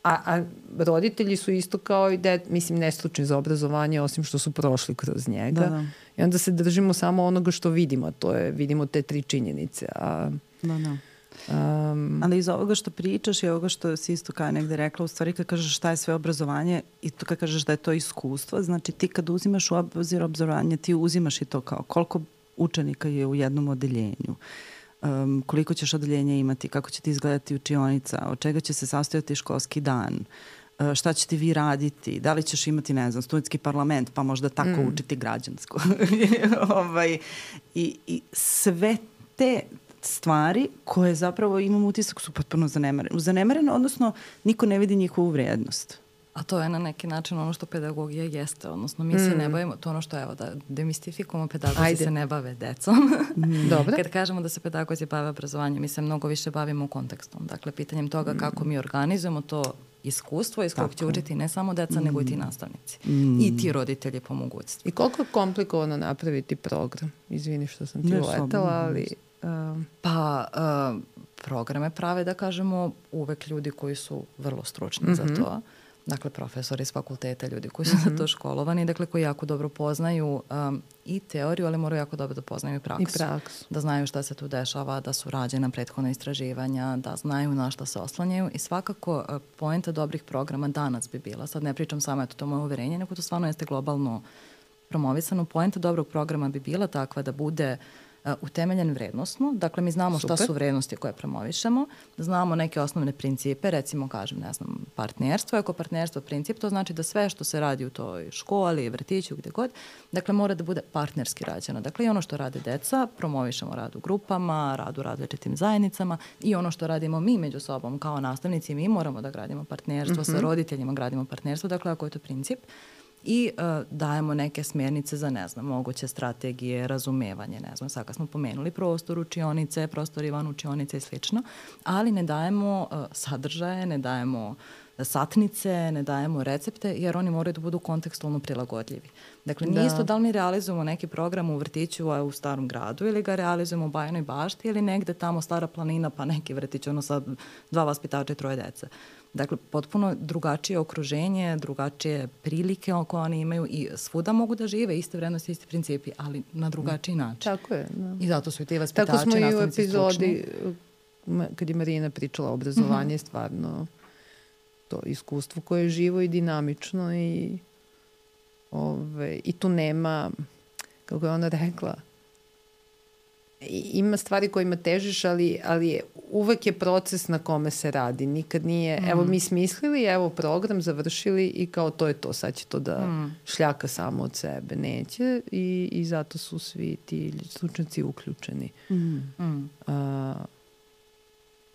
S3: A roditelji su isto kao i mislim, nestručni za obrazovanje, osim što su prošli kroz njega.
S1: Da.
S3: I onda se držimo samo onoga što vidimo, a to je, vidimo te 3 činjenice.
S1: Da. Ali iz ovoga što pričaš i ovoga što si isto kao negde rekla, u stvari kad kažeš šta je sve obrazovanje i to kad kažeš da je to iskustvo, znači ti kad uzimaš u obzir obrazovanje, ti uzimaš i to kao koliko učenika je u jednom odeljenju, koliko ćeš odeljenja imati, kako će ti izgledati učionica, od čega će se sastojati školski dan, šta ćete vi raditi, da li ćeš imati, ne znam, studentski parlament, pa možda tako učiti građansko. I sve te stvari koje zapravo imam utisak su potpuno zanemarene, odnosno niko ne vidi njihovu vrijednost.
S2: A to je na neki način ono što pedagogija jeste, odnosno mi se ne bavimo, to ono što evo da demistifikujemo, pedagozi se ne bave decom.
S3: Dobro.
S2: Kad kažemo da se pedagozi bave obrazovanjem, mi se mnogo više bavimo kontekstom, dakle pitanjem toga kako mi organizujemo to iskustvo iz kojeg će učiti ne samo deca, nego i ti nastavnici. I ti roditelji po mogućstvu.
S3: I koliko je komplikovano napraviti program? Izvini što sam ti uletala, ali...
S2: Programe prave, da kažemo, uvek ljudi koji su vrlo stručni za to. Dakle, profesori iz fakulteta, ljudi koji su za to školovani, dakle, koji jako dobro poznaju i teoriju, ali moraju jako dobro da poznaju i praksu. Da znaju šta se tu dešava, da su rađena prethodna istraživanja, da znaju na šta se oslanjaju i svakako poenta dobrih programa danas bi bila, sad ne pričam samo, eto, to moje uverenje, nego to stvarno jeste globalno promovisano, poenta dobrog programa bi bila takva da bude utemeljen vrednostno. Dakle, mi znamo šta su vrednosti koje promovišemo, znamo neke osnovne principe, recimo, kažem, ne znam, partnerstvo. Ako partnerstvo je princip, to znači da sve što se radi u toj školi, vrtiću, gde god, dakle, mora da bude partnerski rađeno. Dakle, i ono što rade deca, promovišemo rad u grupama, rad u različitim zajednicama i ono što radimo mi među sobom kao nastavnici, mi moramo da gradimo partnerstvo, sa roditeljima gradimo partnerstvo, dakle, ako je to princip, i dajemo neke smjernice za, ne znam, moguće strategije, razumevanje, ne znam, sad kad smo pomenuli prostor učionice, prostor Ivan učionice i slično, ali ne dajemo sadržaje, ne dajemo satnice, ne dajemo recepte, jer oni moraju da budu kontekstualno prilagodljivi. Dakle, nije isto da li mi realizujemo neki program u vrtiću u Starom gradu ili ga realizujemo u Bajinoj Bašti ili negde tamo Stara planina pa neki vrtić, ono sa 2 vaspitača i 3 dece. Dakle, potpuno drugačije okruženje, drugačije prilike koje oni imaju i svuda mogu da žive, iste vrednosti, isti principi, ali na drugačiji način.
S3: Tako je. Da.
S2: I zato su i ti vaspitači,
S3: tako smo i u
S2: epizodi,
S3: kad je Marina pričala o obrazovanju, stvarno to iskustvo koje je živo i dinamično i tu nema, kako je ona rekla, ima stvari kojima težiš, ali uvek je proces na kome se radi. Nikad nije, evo mi smislili, evo program završili i kao to je to, sad će to da šljaka samo od sebe. Neće i zato su svi ti stručnjaci uključeni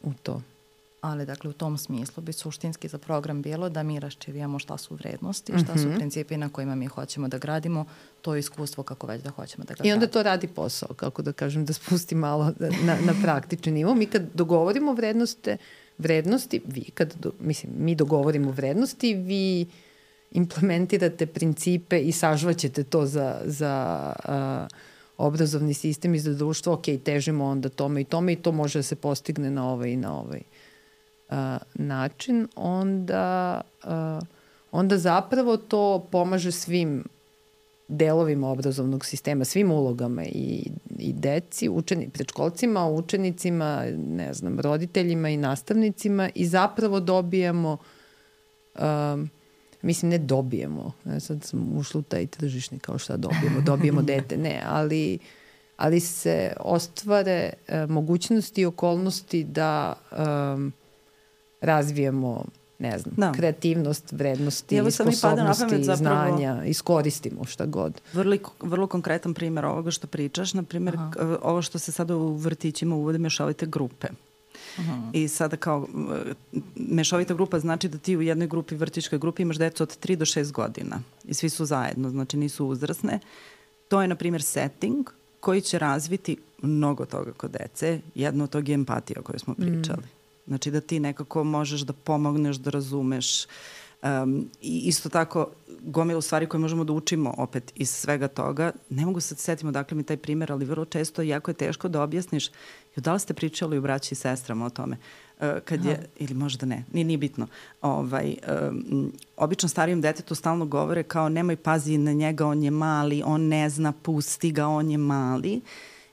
S3: u to.
S2: Ali, dakle, u tom smislu bi suštinski za program bilo da mi raščivijamo šta su vrednosti, šta su principi na kojima mi hoćemo da gradimo to iskustvo kako već da hoćemo da ga gradimo.
S3: I onda to radi posao, kako da kažem, da spusti malo na praktični nivo. Mi kad dogovorimo vrednosti, mi dogovorimo vrednosti, vi implementirate principe i sažvaćete to za obrazovni sistem i za društvo. Ok, težimo onda tome i to može da se postigne na ovaj i na ovaj način, onda zapravo to pomaže svim delovima obrazovnog sistema, svim ulogama i deci, predškolcima, učenicima, ne znam, roditeljima i nastavnicima i zapravo dobijemo, ne dobijemo, sad sam ušla u taj tržišni kao šta dobijemo dete, ne, ali se ostvare mogućnosti i okolnosti da razvijemo, ne znam, kreativnost, vrednosti, sposobnosti, znanja, iskoristimo šta god.
S1: Vrlo konkretan primjer ovoga što pričaš, na primjer, ovo što se sada u vrtićima uvode mešovite grupe. I sada kao mešovita grupa znači da ti u jednoj grupi, vrtićkoj grupi, imaš decu od 3 do 6 godina i svi su zajedno, znači nisu uzrasne. To je, na primjer, setting koji će razviti mnogo toga kod dece. Jedno od toga je empatija o kojoj smo pričali. Znači da ti nekako možeš da pomogneš, da razumeš, I isto tako, gomilu stvari koje možemo da učimo opet iz svega toga. Ne mogu se setiti odakle mi taj primer, ali vrlo često jako je teško da objasniš. Da li ste pričali u braći i sestrama o tome? Kad je, ili možda ne, nije bitno. Obično starijem detetu stalno govore kao nemoj pazi na njega, on je mali, on ne zna, pusti ga, on je mali.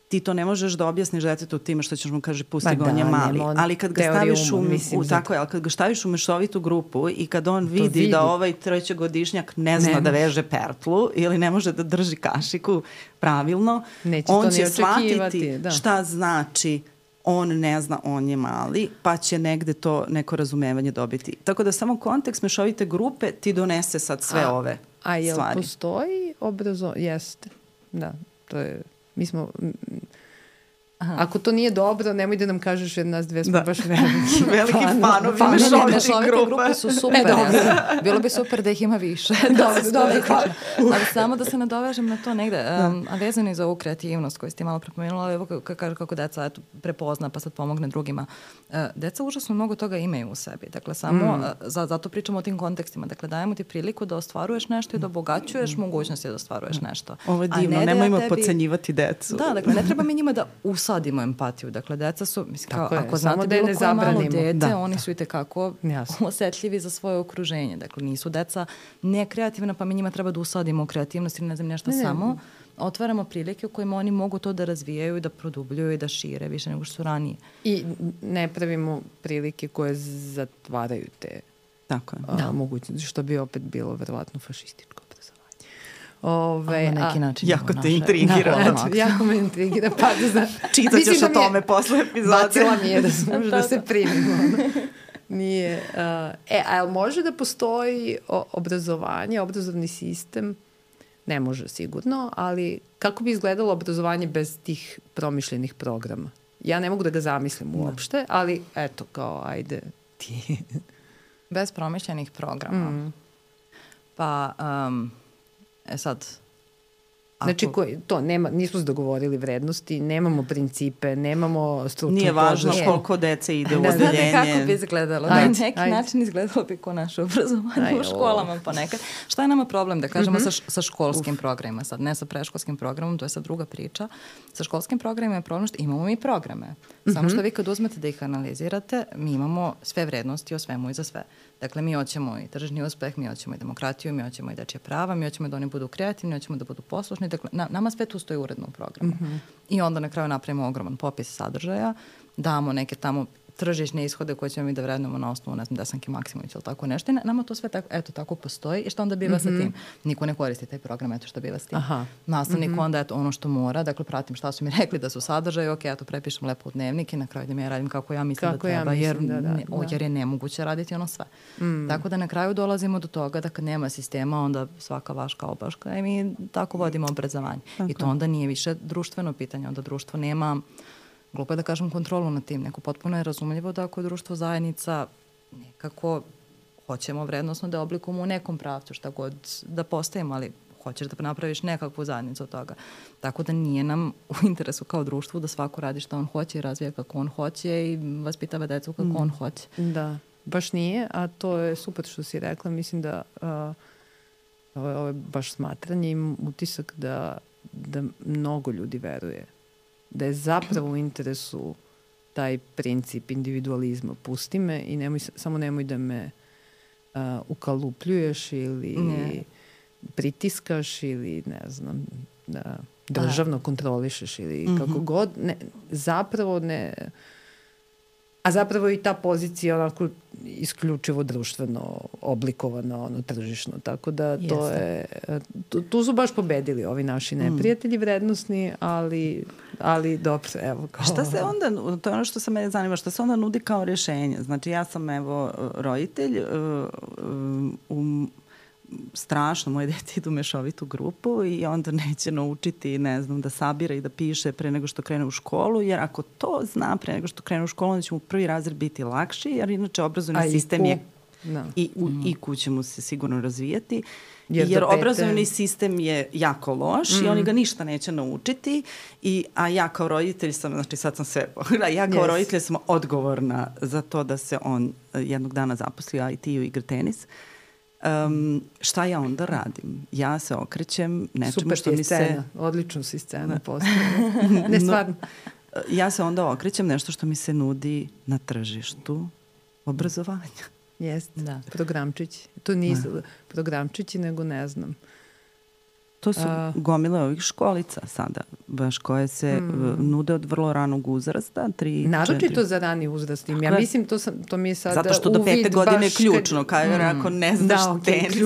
S1: Ti to ne možeš da objasniš detetu time što ćeš mu kaže pusti ga, on je mali. Ali kad ga staviš u mešovitu grupu i kad on vidi da ovaj trećegodišnjak ne zna da veže pertlu ili ne može da drži kašiku pravilno, on će shvatiti šta znači on ne zna, on je mali, pa će negde to neko razumevanje dobiti. Tako da samo kontekst mešovite grupe ti donese sad sve ove stvari.
S3: A jel postoji Jeste. Da, to je... Mi smo... Ako to nije dobro, nemoj da nam kažeš jer nas dve smo baš
S1: veliki fanovi mešovite grupe
S2: su super. Bilo bi super da ih ima više. Dobro. Ali samo da se nadovežem na to negde, a vezano i za ovu kreativnost koju ste malo prepomenula, evo kaže kako deca prepozna pa sad pomogne drugima. Deca užasno mnogo toga imaju u sebi. Dakle, samo zato pričamo o tim kontekstima. Dakle, dajemo ti priliku da ostvaruješ nešto i da obogaćuješ mogućnosti da ostvaruješ nešto.
S1: Ovo je divno, nemojmo podcenjivati decu.
S2: Da, dakle, ne treba mi njima da usadimo empatiju. Dakle, deca su, mislim, kao, ako znate bilo koje malo dete, oni su i tekako osetljivi za svoje okruženje. Dakle, nisu deca nekreativna, pa mi njima treba da usadimo kreativnost ili ne znam nešto samo. Otvaramo prilike u kojima oni mogu to da razvijaju i da produbljuju i da šire više nego što su ranije.
S3: I ne pravimo prilike koje zatvaraju te mogućnosti, što bi opet bilo verovatno fašističko obrazovanje.
S2: Na neki način.
S1: Jako te intrigira.
S3: Jako me intrigira.
S1: Čitat ćeš o tome posle epizode.
S3: Bacila mi je da se primimo. Nije. Ali može da postoji obrazovanje, obrazovni sistem? Ne može sigurno, ali kako bi izgledalo obrazovanje bez tih promišljenih programa? Ja ne mogu da ga zamislim uopšte, ali eto, kao, ajde ti.
S2: Bez promišljenih programa. Pa, sad...
S3: Znači, nismo se dogovorili vrednosti, nemamo principe, nemamo stručnu
S1: Nije važno koliko dece ide u odeljenje.
S2: Znate kako bi izgledalo? Na neki način izgledalo bi ko naše obrazovanje u školama ponekad. Šta je nama problem da kažemo sa školskim programima? Sad ne sa preškolskim programom, to je sad druga priča. Sa školskim programima je problem što imamo mi programe. Samo što vi kad uzmete da ih analizirate, mi imamo sve vrednosti o svemu i za sve. Dakle, mi hoćemo i tržni uspeh, mi hoćemo i demokratiju, mi hoćemo i dečje prava, mi hoćemo da oni budu kreativni, hoćemo da budu poslušni. Dakle, nama sve tu stoji uredno u programu. I onda na kraju napravimo ogroman popis sadržaja, damo neke tamo tržišne ishode koje ćemo mi da vrednujemo na osnovu, ne znam, Desanke Maksimović ili tako nešto. I nama to sve tako postoji. I što onda biva sa tim? Niko ne koristi taj program, eto što biva s tim. Nastavnik onda je ono što mora, dakle pratim šta su mi rekli da su sadržaji, ok, ja to prepišem lepo u dnevnik i na kraju da mi ja radim kako ja mislim da treba, jer je nemoguće raditi ono sve. Tako da na kraju dolazimo do toga da kad nema sistema, onda svaka vaška obaška i mi tako vodimo obrazovanje. I to onda nije više društveno pitanje, onda društvo nema, glupo je da kažem, kontrolu nad tim. Neko potpuno je razumljivo da ako je društvo zajednica, nekako hoćemo vrednostno da oblikujemo u nekom pravcu, šta god da postavimo, ali hoćeš da napraviš nekakvu zajednicu od toga. Tako da nije nam u interesu kao društvu da svako radi šta on hoće i razvija kako on hoće i vaspitava decu kako on hoće.
S3: Da, baš nije, a to je super što si rekla. Mislim da ovo je baš smatranje i utisak da mnogo ljudi veruje da je zapravo u interesu taj princip individualizma. Pusti me i samo nemoj da me ukalupljuješ ili pritiskaš ili ne znam, da državno kontrolišeš ili kako god. Zapravo ne... A zapravo i ta pozicija onako isključivo društveno oblikovana, tržišno. Tako da to je... Tu su baš pobedili ovi naši neprijatelji vrednosni, ali dobro, evo.
S1: Šta se onda, to je ono što se mene zanima, šta se onda nudi kao rješenje? Znači ja sam roditelj, strašno, moje dete idu u mešovitu grupu i onda neće naučiti, ne znam, da sabira i da piše pre nego što krene u školu, jer ako to zna pre nego što krene u školu, onda će mu prvi razred biti lakši, jer inače obrazovni sistem je i IQ će mu se sigurno razvijati, jer obrazovni sistem je jako loš i oni ga ništa neće naučiti, a ja kao roditelj sam, znači sad sam sve, ja kao roditelj sam odgovorna za to da se on jednog dana zaposli u IT-u i igra tenis. Šta ja onda radim? Ja se okrećem nečemu
S3: super
S1: što mi
S3: scena.
S1: se...
S3: Odličnu si scenu postavila. Ne, stvarno.
S1: Ja se onda okrećem nešto što mi se nudi na tržištu obrazovanja.
S3: Jeste, da. Programčići. To nisu programčići, nego ne znam.
S1: To su gomile ovih školica sada, baš koje se nude od vrlo ranog uzrasta. 3,
S3: naročito
S1: 4.
S3: za rani uzrast. Ja mislim, to mi je sada
S1: zato što do 5. godine je ključno. Ako ne znaš tenis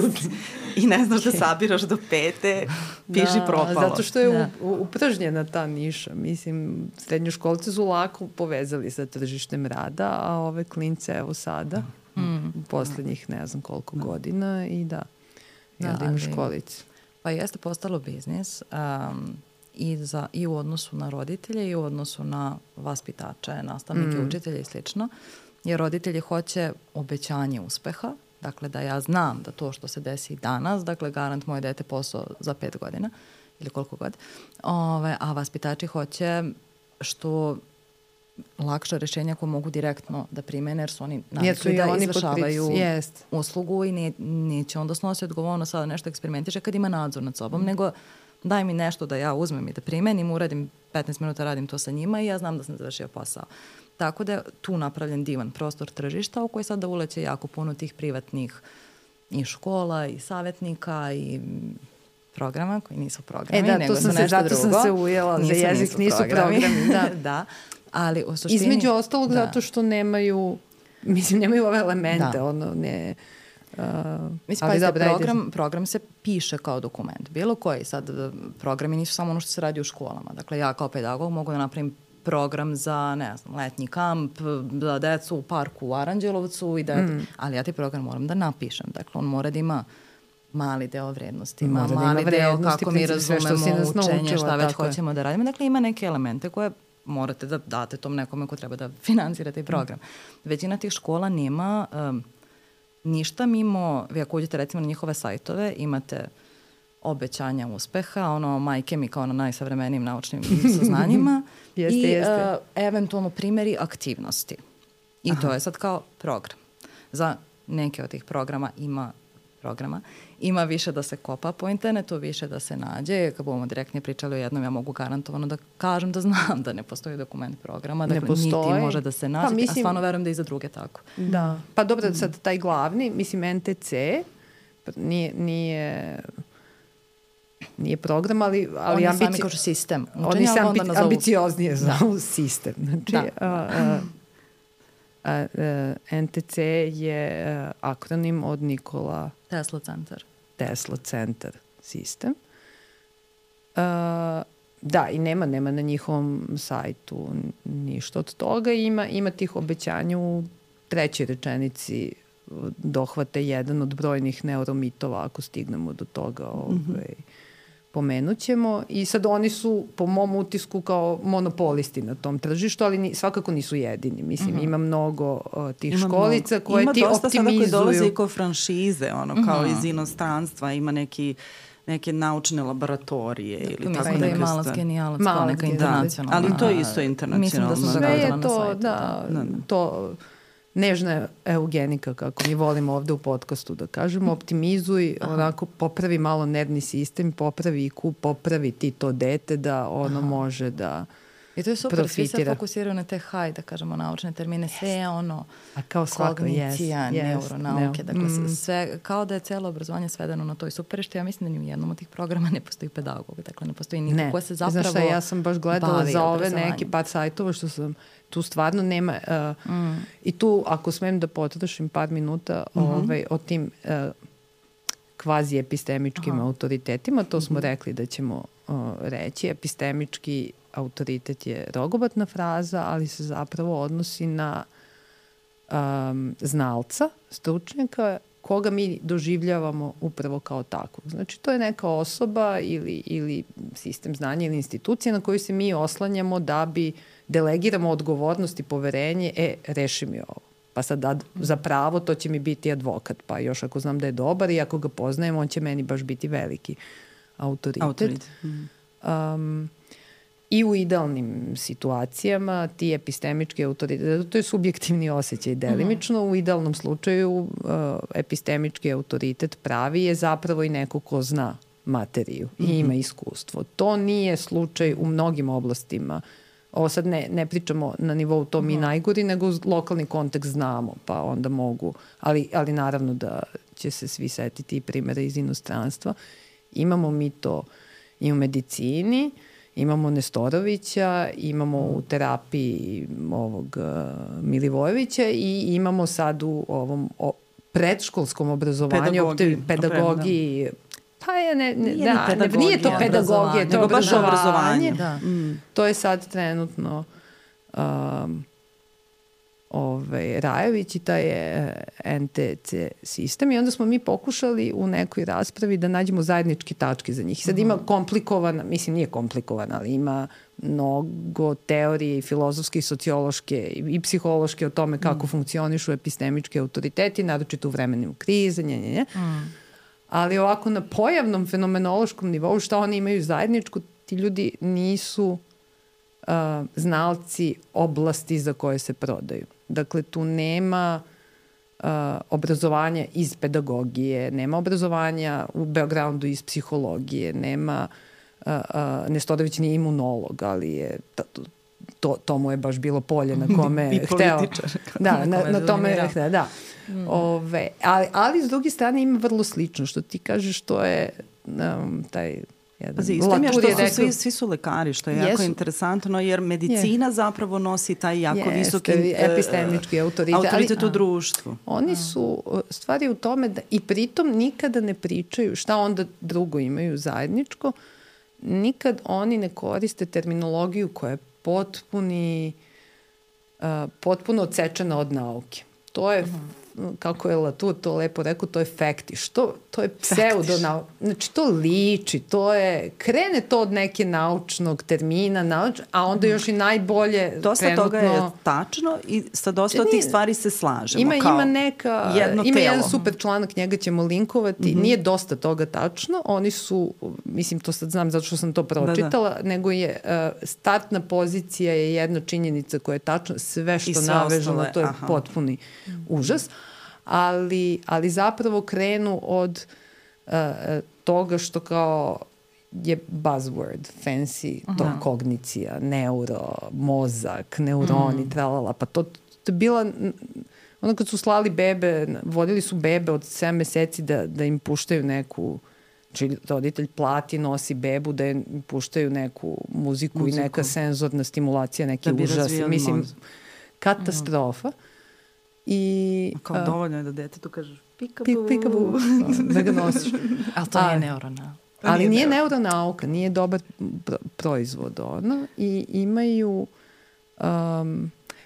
S1: i ne znaš da sabiraš do 5. piši propalo.
S3: Zato što je upržnjena ta niša. Mislim, srednjoškolci su lako povezali sa tržištem rada, a ove klince evo sada, u poslednjih ne znam koliko godina i da u školici.
S2: Pa jeste postalo biznis i u odnosu na roditelje i u odnosu na vaspitače, nastavnike, učitelje i slično. Jer roditelji hoće obećanje uspeha, dakle da ja znam da to što se desi danas, dakle garant moje dete posao za 5 godina ili koliko god, a vaspitači hoće što lakša rešenja koje mogu direktno da primene, jer su oni navikli da izvršavaju uslugu i neće onda snosi odgovornost sada nešto eksperimentiše kad ima nadzor nad sobom, nego daj mi nešto da ja uzmem i da primenim, uradim 15 minuta, radim to sa njima i ja znam da sam završio posao. Tako da je tu napravljen divan prostor tržišta u koji sada uleće jako puno tih privatnih i škola i savjetnika i programa koji nisu programi, nego su nešto drugo.
S3: Zato sam se ujela, za jezik nisu programi.
S2: Da. Ali u suštini...
S3: Između ostalog zato što nemaju ove elemente,
S2: program se piše kao dokument. Bilo koji sad programi nisu samo ono što se radi u školama. Dakle, ja kao pedagog mogu da napravim program za, ne znam, letnji kamp, za decu u parku u Aranđelovcu, ali ja taj program moram da napišem. Dakle, on mora da ima mali deo vrednosti, mali deo kako mi razumemo učenje, šta već hoćemo da radimo. Dakle, ima neke elemente koje morate da date tom nekome ko treba da finansira taj program. Većina tih škola nema ništa mimo, vi ako uđete recimo na njihove sajtove, imate obećanja uspeha, majke mi kao na najsavremenijim naučnim saznanjima i eventualno primjeri aktivnosti. I to je sad kao program. Za neke od tih ima više da se kopa po internetu, više da se nađe. Kad budemo direktnije pričali o jednom, ja mogu garantovano da kažem da znam da ne postoji dokument programa, dakle niti može da se nađe, a stvarno verujem da i za druge tako.
S3: Da. Pa dobro, sad taj glavni, mislim NTC, nije program, ali
S2: on je sami kao sistem.
S3: Oni se ambicioznije zovu sistem. Znači, NTC je akronim od Nikola Tesla Centar sistem. Da, i nema na njihovom sajtu ništa od toga. Ima tih obećanja u 3. rečenici dohvate jedan od brojnih neuromitova, ako stignemo do toga pomenut ćemo. I sad oni su, po mom utisku, kao monopolisti na tom tržištu, ali svakako nisu jedini. Mislim, ima mnogo tih školica koje ti optimizuju. Ima dosta sada koji dolaze
S1: i kao franšize, kao iz inostranstva, ima neke naučne laboratorije ili tako neka.
S2: Da je Malac genijalac, kao neka internacionalna.
S1: Ali to je isto internacionalno.
S2: Mislim da su
S3: sve je to, to nežna eugenika, kako mi volimo ovde u podcastu da kažemo, optimizuj, onako popravi malo nervni sistem, popravi IQ, popravi ti to dete da ono može da
S2: i to je super, svi se fokusiraju na te da kažemo naučne termine, sve je kognicija, neuronauke, dakle sve, kao da je celo obrazovanje svedeno na to i super, što ja mislim da ni u jednom od tih programa ne postoji pedagog, dakle ne postoji niko ko se zapravo bavi obrazovanje.
S3: Ja sam baš gledala za ove neki par sajtova što sam tu stvarno nema i tu ako smem da potrošim par minuta o tim kvazi epistemičkim autoritetima, to smo rekli da ćemo reći. Epistemički autoritet je rogobatna fraza, ali se zapravo odnosi na znalca, stručnjaka, koga mi doživljavamo upravo kao takvog. Znači, to je neka osoba ili sistem znanja ili institucija na koju se mi oslanjamo da bi delegiramo odgovornost i poverenje, reši mi ovo. Pa sad za pravo to će mi biti advokat, pa još ako znam da je dobar i ako ga poznajem, on će meni baš biti veliki autoritet. I u idealnim situacijama ti epistemički autoritet, to je subjektivni osjećaj delimično, u idealnom slučaju epistemički autoritet pravi je zapravo i neko ko zna materiju i ima iskustvo. To nije slučaj u mnogim oblastima. Ovo sad ne pričamo na nivou to mi najgori, nego lokalni kontekst znamo, pa onda mogu, ali naravno da će se svi setiti i primjera iz inostranstva. Imamo mi to i u medicini, imamo Nestorovića, imamo u terapiji ovog Milivojevića i imamo sad u ovom predškolskom obrazovanju, pedagogiji. Pa nije to pedagogija, to je obrazovanje. Da. To je sad trenutno Rajović i taj NTC sistem i onda smo mi pokušali u nekoj raspravi da nađemo zajedničke tačke za njih. Sad ima komplikovana, mislim nije komplikovana, ali ima mnogo teorije i filozofske i sociološke i psihološke o tome kako funkcionišu epistemički autoriteti, naročito u vremenu krize, ali ovako na pojavnom fenomenološkom nivou šta oni imaju zajedničko, ti ljudi nisu znalci oblasti za koje se prodaju. Dakle, tu nema obrazovanja iz pedagogije, nema obrazovanja u backgroundu iz psihologije, nema Nestorović nije imunolog, ali je to mu je baš bilo polje na kome je hteo. Da, na tome je hteo, da. Ali s druge strane ima vrlo slično, što ti kažeš, to je taj
S1: Pazi, istim je što svi su lekari, što je jako interesantno, jer medicina zapravo nosi taj jako visoki
S3: epistemički autoritet
S1: u društvu.
S3: Oni su stvari u tome da i pritom nikada ne pričaju šta onda drugo imaju zajedničko, nikad oni ne koriste terminologiju koja je potpuno odsečena od nauke. To je kako je Latour to lepo rekao, to je fektiš. To je pseudonauka. Znači, to liči, krene to od neke naučnog termina, a onda još i najbolje
S1: dosta toga je tačno i sa dosta od tih stvari se slažemo.
S3: Ima jedan super članak, njega ćemo linkovati. Nije dosta toga tačno. Oni su, mislim, to sad znam zato što sam to pročitala, nego je startna pozicija je jedna činjenica koja je tačna. Sve što navežemo, to je potpuni užas. Ali zapravo krenu od toga što kao je buzzword, fancy, to kognicija, neuro, mozak, neuroni, tralala, pa to je bila, ono kad su slali bebe, vodili su bebe od 7 meseci da im puštaju neku, znači roditelj plati, nosi bebu da im puštaju neku muziku i neka senzorna stimulacija, neki užas, mislim, katastrofa.
S2: Kao dovoljno je da detetu kažeš
S3: pikabu, da ga nosiš.
S2: Ali to nije neuronauka.
S3: Ali nije neuronauka, nije dobar proizvod ono. I imaju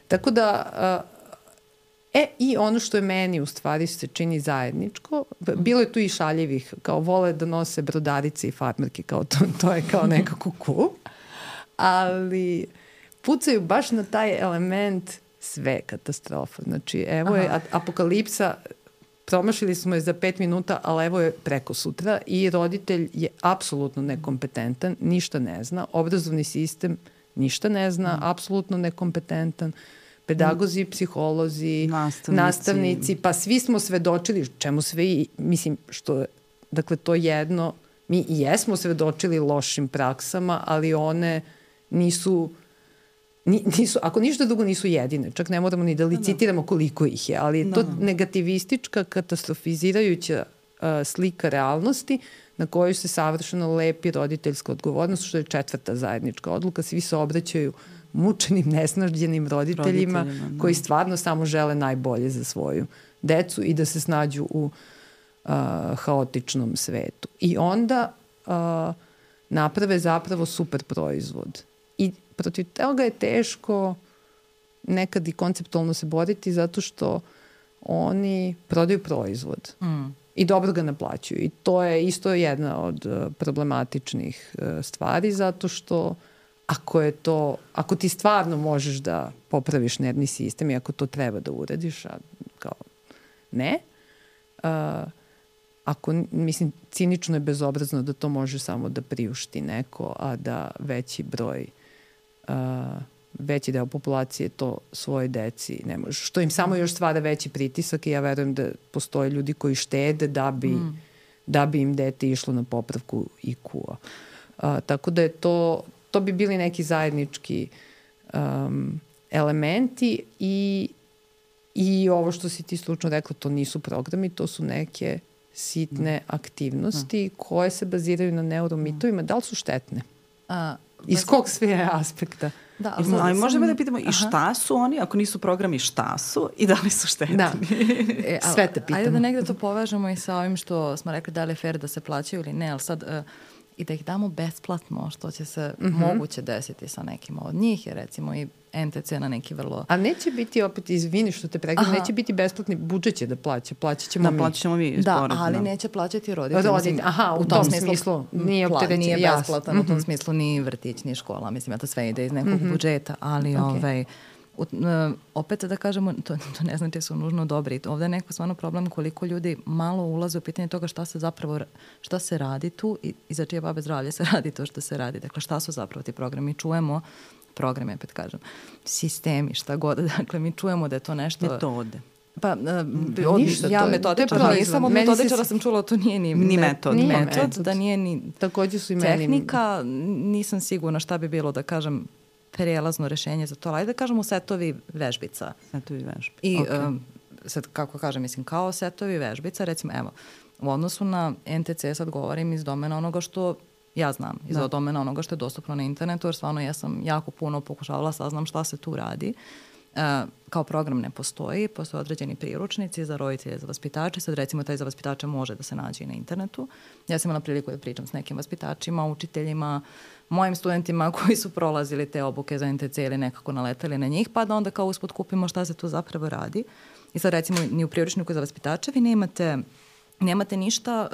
S3: tako da i ono što je meni u stvari se čini zajedničko, bilo je tu i šaljivih, kao vole da nose brodarice i farmerke, kao to je kao nekako cool, ali pucaju baš na taj element sve katastrofa. Znači, evo je apokalipsa, promašili smo je za 5 minuta, ali evo je preko sutra i roditelj je apsolutno nekompetentan, ništa ne zna, obrazovni sistem ništa ne zna, apsolutno nekompetentan, pedagozi, psiholozi, nastavnici, pa svi smo svedočili, čemu sve, mislim, dakle, to jedno, mi i jesmo svedočili lošim praksama, ali one nisu, ako ništa drugo nisu jedine, čak ne moramo ni da licitiramo koliko ih je, ali je to negativistička, katastrofizirajuća slika realnosti na koju se savršeno lepi roditeljska odgovornost, što je 4. zajednička odluka. Svi se obraćaju mučenim, nesnažđenim roditeljima koji stvarno samo žele najbolje za svoju decu i da se snađu u haotičnom svetu. I onda naprave zapravo super proizvod. I protiv toga je teško nekad i konceptualno se boriti zato što oni prodaju proizvod i dobro ga naplaćuju. I to je isto jedna od problematičnih stvari zato što ako ti stvarno možeš da popraviš nervni sistem i ako to treba da uradiš, a kao ne, mislim, cinično je bezobrazno da to može samo da priušti neko, a da veći broj veći deo populacije to svoje deci ne može. Što im samo još stvara veći pritisak i ja verujem da postoje ljudi koji štede da bi im dete išlo na popravku IQ-a. Tako da je to bi bili neki zajednički elementi i ovo što si ti slučno rekla, to nisu programi, to su neke sitne aktivnosti koje se baziraju na neuromitovima. Da li su štetne? Iz kog sve aspekta?
S1: Da, ali možemo da pitamo i šta su oni, ako nisu programi, šta su i da li su štetni?
S3: Da. Sve te pitamo.
S2: Ajde da negde to povežemo i sa ovim što smo rekli da li je fair da se plaćaju ili ne, ali sad i da ih damo besplatno, što će se moguće desiti sa nekima od njih, jer recimo i NTC na neki vrlo...
S3: A neće biti opet, izvini što te pregledam, neće biti besplatni, budžet će da plaćat ćemo mi.
S1: Da, plaćat ćemo mi.
S2: Da, ali neće plaćati roditelji.
S3: Aha, u tom smislu nije opterećen.
S2: Nije besplatan, u tom smislu ni vrtić, ni škola, mislim, to sve ide iz nekog budžeta, ali opet da kažemo, to ne znači su nužno dobri. Ovde je neko stvarno problem koliko ljudi malo ulaze u pitanje toga šta se radi tu i za čije babe zdravlje se radi to što se radi. Dakle, šta su zapravo ti programi? Čujemo programe, opet kažem, sistemi, šta god. Dakle, mi čujemo da je to nešto...
S1: Metode.
S2: Pa, ja metodičara nisam, od metodičara sam čula, to nije ni metod, da nije ni
S3: takođe su i
S2: tehnika, nisam sigurna šta bi bilo, da kažem, prijelazno rešenje za to, ali da kažemo setovi vežbica.
S1: Setovi vežbica.
S2: I sad, kako kažem, mislim, kao setovi vežbica, recimo, evo, u odnosu na NTC sad govorim iz domena onoga što ja znam, iz domena onoga što je dostupno na internetu, jer stvarno ja sam jako puno pokušavala saznam šta se tu radi. Kao program ne postoji, postoje određeni priručnici za roditelje, za vaspitače, sad recimo taj za vaspitače može da se nađe i na internetu. Ja sam imala priliku da pričam s nekim vaspitačima, učiteljima, mojim studentima koji su prolazili te obuke za NTC ili nekako naletali na njih, pa da onda kao usput kupimo šta se tu zapravo radi. I sad recimo ni u priručniku za vaspitače vi nemate ništa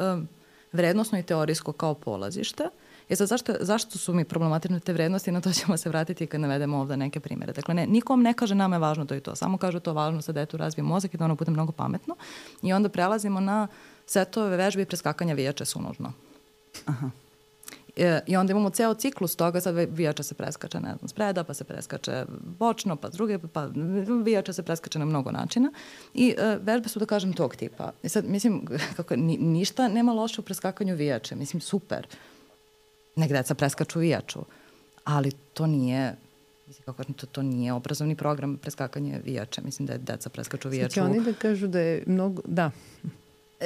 S2: vrednosno i teorijsko kao polazište. Sad zašto su mi problematične te vrednosti, na to ćemo se vratiti kad navedemo ovde neke primere. Dakle, nikom ne kaže nama je važno to i to, samo kažu to važno sa detu razvije mozak i da ono bude mnogo pametno i onda prelazimo na setove vežbe i preskakanja vijača su nužno.
S1: Aha.
S2: I onda imamo ceo ciklus toga, sad vijača se preskače, ne znam, spreda, pa se preskače bočno, pa druge, pa vijača se preskače na mnogo načina i vežbe su, da kažem, tog tipa. I sad, mislim, kako ništa nema loše u preskakanju vijače, mislim, super. Nek deca preskaču vijaču, ali to nije, mislim, kako kažem, to nije obrazovni program preskakanje vijača. Mislim da je deca preskaču vijaču.
S3: Sad će oni da kažu da je mnogo, da.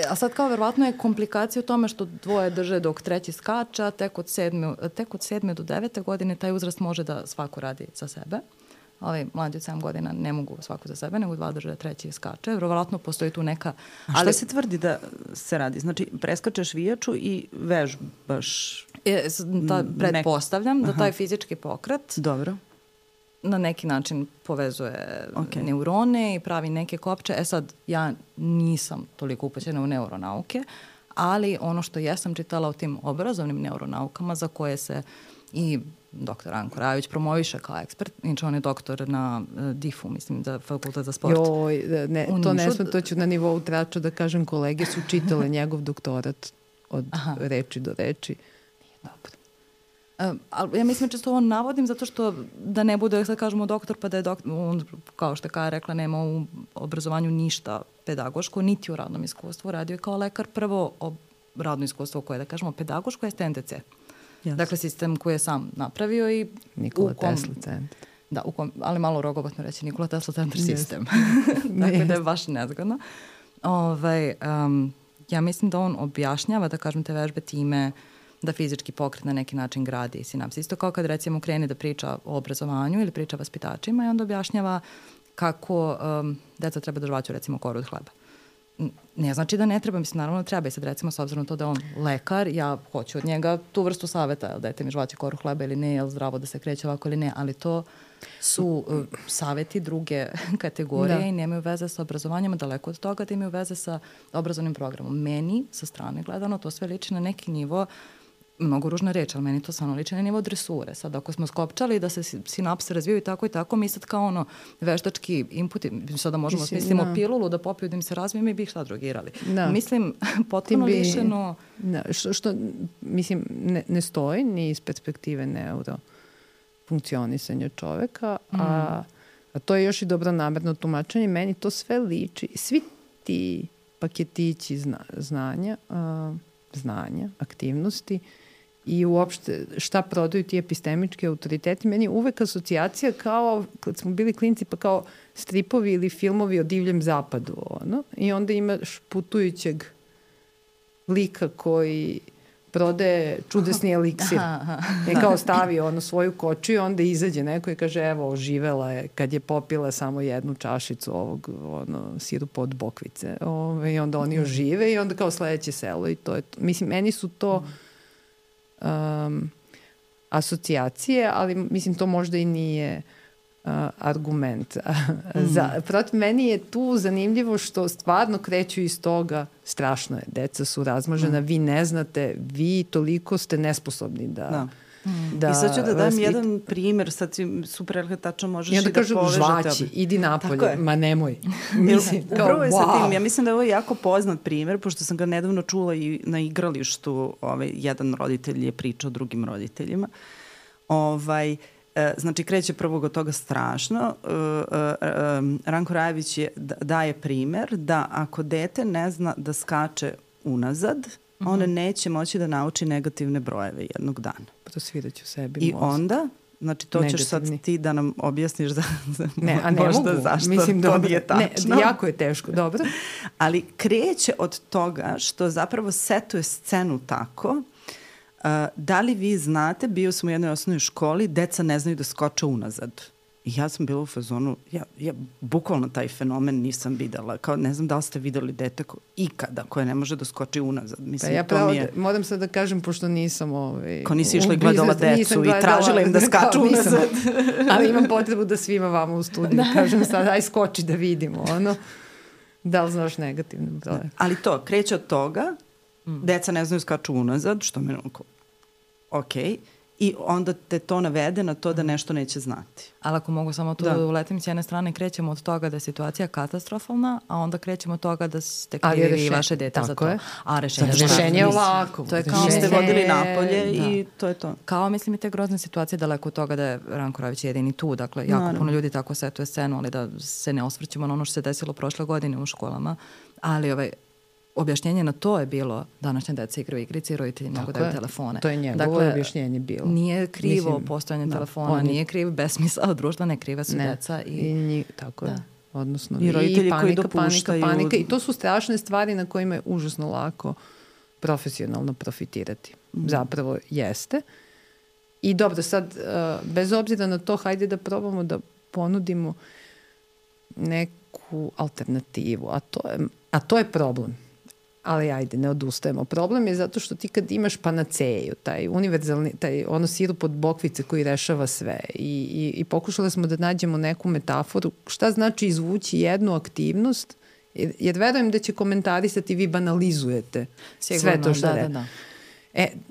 S2: A sad kao verovatno je komplikacija u tome što dvoje drže dok treći skača, tek od 7. do 9. godine taj uzrast može da svako radi za sebe. Ali mlađi od 7 godina ne mogu svako za sebe, nego 2 drže, treći skače. Verovatno postoji tu neka...
S1: A šta se tvrdi da se radi? Znači, preskačeš vijaču i vežbaš...
S2: Pretpostavljam da taj fizički pokret
S1: dobro
S2: na neki način povezuje neurone i pravi neke kopče. Sad, ja nisam toliko upućena u neuronauke, ali ono što jesam čitala o tim obrazovnim neuronaukama za koje se i doktor Anko Rajović promoviše kao ekspert, inače on je doktor na DIF-u, mislim, za fakultet za sport.
S3: Joj, to ne smem, to ću na nivou trača da kažem, kolege su čitale njegov doktorat od reči do reči.
S2: Nije dobro. Ali ja mislim često ovo navodim zato što da ne bude, sad kažemo doktor, pa da je doktor, on, kao što je Kaja rekla, nema u obrazovanju ništa pedagoško, niti u radnom iskustvu. Radio je kao lekar prvo radno iskustvo koje, da kažemo, pedagoško je NTC. Yes. Dakle, sistem koji je sam napravio i...
S3: Nikola Tesla centar.
S2: Da, ali malo rogobatno reći Nikola Tesla centar sistem. Dakle, da je baš nezgodno. Ja mislim da on objašnjava, da kažem, te vežbe time da fizički pokret na neki način gradi sinapse. Isto kao kad recimo krene da priča o obrazovanju ili priča o vaspitačima i onda objašnjava kako deca treba da žvaću recimo koru od hleba. Ne znači da ne treba, mislim, naravno treba i sad recimo s obzirom to da je on lekar, ja hoću od njega tu vrstu saveta, jel dete mi žvaće koru hleba ili ne, jel zdravo da se kreće ovako ili ne, ali to su saveti druge kategorije i nemaju veze sa obrazovanjem, daleko od toga da imaju veze sa obrazovnim programom. Meni, sa strane gledano, to sve liči na neki nivo, mnogo ružna reč, ali meni to stvarno liči na nivo dresure. Sad, ako smo skopčali da se sinapse razvijaju i tako, mi sad kao ono veštački inputi, sada možemo smislimo pilulu da popiju da im se razvije, mi bi ih šta drogirali. Mislim, potpuno lišeno...
S3: Što, mislim, ne stoji ni iz perspektive funkcionisanja čoveka, a to je još i dobronamerno tumačenje. Meni to sve liči. Svi ti paketići znanja, aktivnosti i uopšte šta prodaju ti epistemički autoriteti. Meni je uvek asocijacija kao, kad smo bili klinci, pa kao stripovi ili filmovi o divljem zapadu. Ono. I onda imaš putujućeg lika koji prodaje čudesni eliksir. I kao stavi svoju kočiju, onda izađe neko i kaže, evo, oživela je kad je popila samo jednu čašicu ovog sirupa od bokvice. I onda oni ožive i onda kao sledeće selo i to je to. Mislim, meni su to asocijacije, ali mislim, to možda i nije argument. Protiv meni je tu zanimljivo što stvarno kreću iz toga, strašno je, deca su razmažena, vi ne znate, vi toliko ste nesposobni da
S1: I sad ću da dam jedan primer, sad si super tačno možeš i da povežete.
S3: I onda kažu, žvaći, idi napolje, ma nemoj. Mislim, kao,
S1: upravo je sa tim, ja mislim da je ovo jako poznat primer, pošto sam ga nedavno čula i na igralištu, jedan roditelj je pričao drugim roditeljima. Znači, kreće prvog od toga strašno. Ranko Rajević daje primer da ako dete ne zna da skače unazad, ona neće moći da nauči negativne brojeve jednog dana.
S3: Prosviraću sebi
S1: I onda, znači to ćeš sad ti da nam objasniš
S3: a ne mogu.
S1: Zašto
S3: mislim,
S1: to nije tačno.
S3: Jako je teško, dobro.
S1: Ali kreće od toga što zapravo setuje scenu tako. Da li vi znate, bio sam u jednoj osnovnoj školi, deca ne znaju da skoče unazad. I ja sam bila u fazonu, ja bukvalno taj fenomen nisam videla. Kao, ne znam da li ste videli dete ikada koje ne može da skoči unazad. Mislim,
S3: ja pravo, moram sad da kažem, pošto nisam
S1: Ko nisi išla i gledala decu i tražila im da skaču unazad.
S3: Ali imam potrebu da svima vama u studiju kažem sad, aj skoči da vidimo. Da li znaš negativne broje?
S1: Ali to, kreće od toga, deca ne znaju skaču unazad, što me okej. I onda te to navede na to da nešto neće znati.
S2: Ali ako mogu samo tu da uletim, s jedne strane krećemo od toga da je situacija katastrofalna, a onda krećemo od toga da ste krivi vaše dete za to. A
S3: rešenje je ovako.
S1: To je kao ste vodili napolje i to je to.
S2: Kao mislim i te grozne situacije daleko od toga da je Ranko Rajević jedini tu. Dakle, jako puno ljudi tako setuje scenu, ali da se ne osvrćemo na ono što se desilo prošle godine u školama. Ali objašnjenje na to je bilo današnja deca igraju igrice i roditelji mogu daju telefone.
S3: To je njegovo objašnjenje bilo.
S2: Nije krivo postojanje telefona, nije kriv besmisao društva, ne kriva su deca.
S3: Tako je. Odnosno,
S1: i roditelji koji dopuštaju.
S3: Panika. I to su strašne stvari na kojima je užasno lako profesionalno profitirati. Zapravo jeste. I dobro, sad, bez obzira na to, hajde da probamo da ponudimo neku alternativu. A to je problem. Ali ajde, ne odustajemo. Problem je zato što ti kad imaš panaceju, taj univerzalni, sirup od bokvice koji rešava sve i pokušali smo da nađemo neku metaforu, šta znači izvući jednu aktivnost, jer verujem da će komentarisati vi banalizujete sve to što da.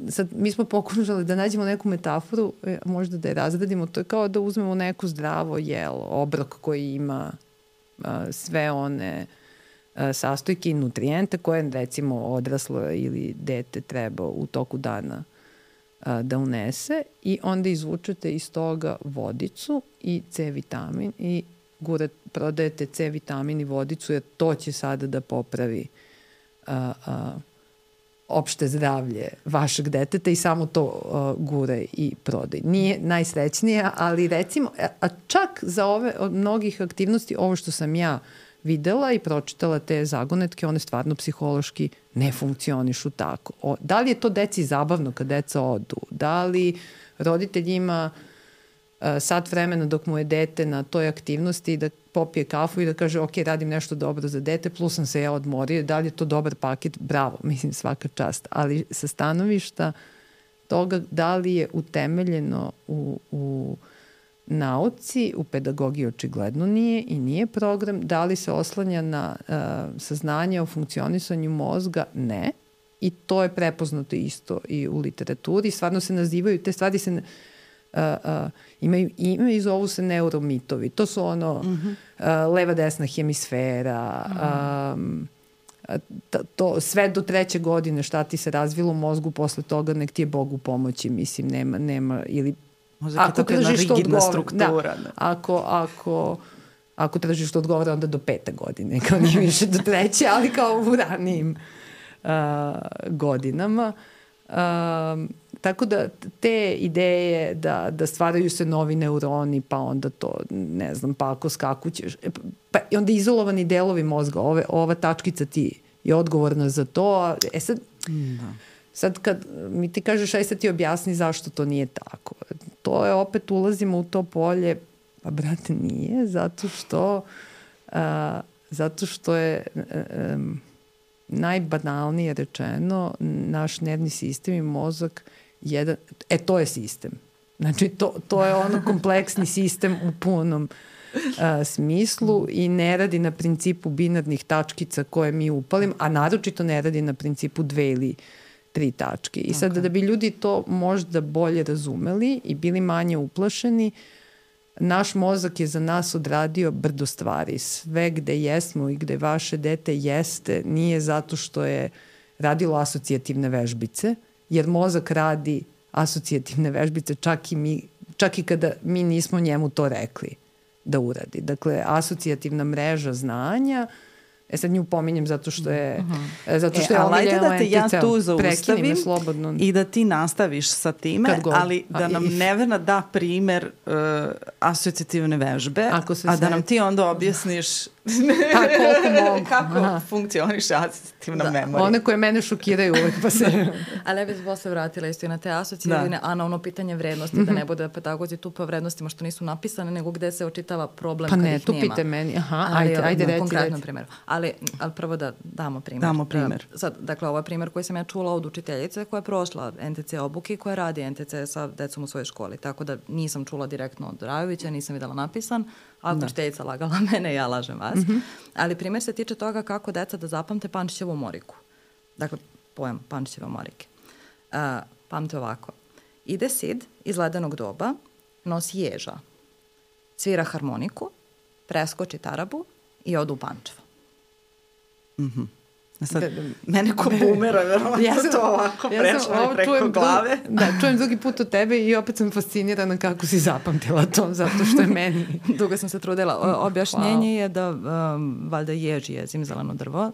S3: Sad, mi smo pokušali da nađemo neku metaforu, možda da je razradimo, to je kao da uzmemo neko zdravo jelo, obrok koji ima sve one sastojke i nutrijente koje recimo odraslo ili dete treba u toku dana da unese i onda izvučete iz toga vodicu i C vitamin i prodajete C vitamin i vodicu jer to će sada da popravi opšte zdravlje vašeg deteta i samo to gure i prodaj. Nije najsrećnija, ali recimo, a čak za ove od mnogih aktivnosti, ovo što sam ja videla i pročitala te zagonetke, one stvarno psihološki ne funkcionišu tako. Da li je to deci zabavno kad deca odu? Da li roditelj ima sat vremena dok mu je dete na toj aktivnosti da popije kafu i da kaže ok, radim nešto dobro za dete, plus sam se ja odmorio, da li je to dobar paket? Bravo, mislim svaka čast. Ali sa stanovišta toga da li je utemeljeno u nauci, u pedagogiji očigledno nije i nije program, da li se oslanja na saznanje o funkcionisanju mozga? Ne. I to je prepoznato isto i u literaturi. Stvarno se nazivaju, te stvari se imaju ime i zovu se neuromitovi. To su leva desna hemisfera, to sve do 3. godine šta ti se razvilo u mozgu, posle toga nek ti je Bog u pomoći, mislim, nema ili
S1: Možda je to jedna rigidna struktura.
S3: Da. Ako tržište odgovara, onda do 5. godine, kao nije više do 3. ali kao u ranijim godinama. Tako da te ideje da stvaraju se novi neuroni, pa onda to, ne znam, pa ako skakućeš, pa onda izolovani delovi mozga, ova tačkica ti je odgovorna za to. Sad kad mi ti kažeš, aj sad ti objasni zašto to nije tako. To je, opet ulazimo u to polje, pa brate nije, zato što je najbanalnije rečeno, naš nervni sistem i mozak to je sistem. Znači, to je ono kompleksni sistem u punom smislu i ne radi na principu binarnih tačkica koje mi upalim, a naročito ne radi na principu 2 ili 3 tačke. I sad da bi ljudi to možda bolje razumeli i bili manje uplašeni, naš mozak je za nas odradio brdo stvari. Sve gde jesmo i gde vaše dete jeste nije zato što je radilo asocijativne vežbice, jer mozak radi asocijativne vežbice čak i kada mi nismo njemu to rekli da uradi. Dakle, asocijativna mreža znanja, sad nju pominjem zato što je
S1: ali da te ja tu zaustavim i da ti nastaviš sa time, ali da nam Nevena da primer asocijativne vežbe, a da nam ti onda objasniš kako funkcioniše asocijativna memorija.
S3: One koje mene šokiraju uvek pa se...
S2: Ali ja bih se posle vratila isto i na te asocijativne, a na ono pitanje vrednosti, da ne bude pedagozi tu po vrednostima što nisu napisane, nego gde se očitava problem kad ih nema.
S3: Pa ne, tu pite meni. Ajde reci.
S2: Konkretnom primjeru. Ali prvo da damo primjer.
S1: Damo primjer.
S2: Sad, dakle, ovo je primjer koji sam ja čula od učiteljice koja je prošla NTC obuke i koja radi NTC sa decom u svojoj školi. Tako da nisam čula direktno od Rajovića, nisam videla napisan, a učiteljica lagala mene, ja lažem vas. Ali primjer se tiče toga kako deca da zapamte Pančićevu moriku. Dakle, pojam Pančićeve morike. Pamte ovako. Ide Sid iz ledenog doba, nosi ježa, svira harmoniku, preskoči tarabu i ode u Pančevo.
S1: Sad, mene ko bumera, verovatno to ovako prešlo mi preko glave.
S3: Čujem drugi put od tebe i opet sam fascinirana kako si zapamtila to, zato što je meni...
S2: Dugo sam se trudila. Objašnjenje je da valjda ježi je zimzeleno drvo,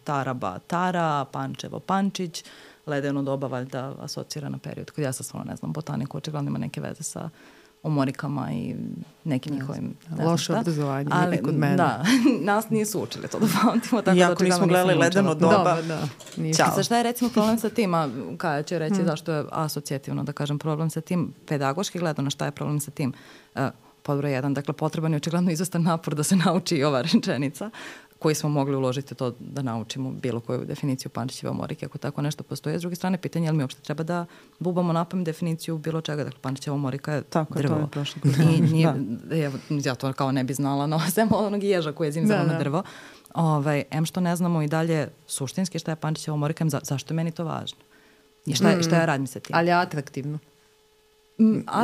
S2: taraba tara, Pančevo Pančić, ledeno doba valjda asocira na period. Kad ja sam stvarno ne znam, botaniku očigledno ima neke veze sa omorikama i nekim njihovim...
S3: Loše obrazovanje, ali kod mene.
S2: Da, nas nisu učili to da pamtimo.
S1: Iako nismo gledali ledeno doba.
S2: Sad šta je recimo problem sa tim, a Kaja će reći zašto je asocijativno, da kažem, problem sa tim, pedagoški gledano, šta je problem sa tim? Podbroj 1, dakle, potreban je očigledno izostan napor da se nauči i ova rečenica, koji smo mogli uložiti to da naučimo bilo koju definiciju Pančićeve omorike, ako tako nešto postoje. S druge strane, pitanje je li mi uopšte treba da bubamo napamet definiciju bilo čega. Dakle, Pančićeva omorika je
S1: tako,
S2: drvo.
S1: To je prošlo.
S2: Ja to kao ne bi znala, no sem onog ježa koji je zimzalo na drvo. Što ne znamo i dalje suštinski šta je Pančićeva omorika, zašto je meni to važno? I šta ja radim sa tim?
S3: Ali atraktivno.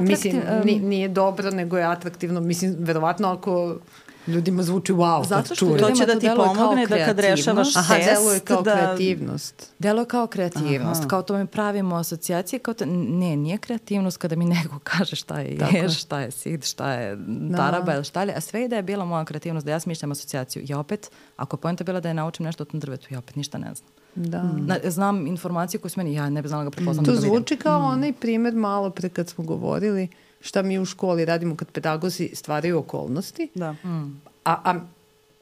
S3: Mislim, nije dobro, nego je atraktivno. Mislim, verovatno ako ljudima zvuči wow.
S2: Zato što to
S1: će da ti pomogne da kad rešavaš test.
S3: Deluje kao kreativnost.
S2: Deluje kao kreativnost. Kao to mi pravimo asocijacije. Kao to, nije kreativnost kada mi neko kaže šta je ješ, šta je sid, šta je taraba ili šta li. A sve da je bila moja kreativnost, da ja smišljam asocijaciju. Ja opet, ako je poenta bila da je naučim nešto o tom drvetu, ja opet ništa ne znam. Znam informaciju koju su meni, ja ne bi znala ga prepoznam.
S3: To zvuči kao onaj primer malo pre kad smo govorili šta mi u školi radimo kad pedagozi stvaraju okolnosti. A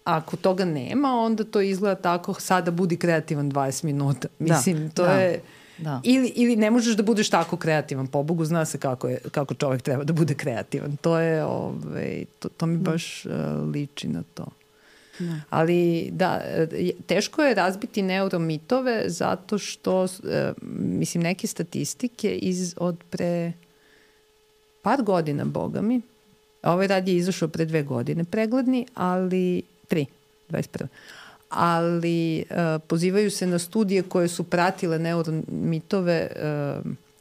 S3: ako toga nema, onda to izgleda tako, sada budi kreativan 20 minuta. Mislim, to je... Ili ne možeš da budeš tako kreativan. Po Bogu zna se kako čovjek treba da bude kreativan. To je, to mi baš liči na to. Ali da, teško je razbiti neuromitove zato što, mislim, neke statistike od pre par godina, boga mi, ovaj rad je izašao pre 2 godine, pregledni, ali 21. Ali pozivaju se na studije koje su pratile neuromitove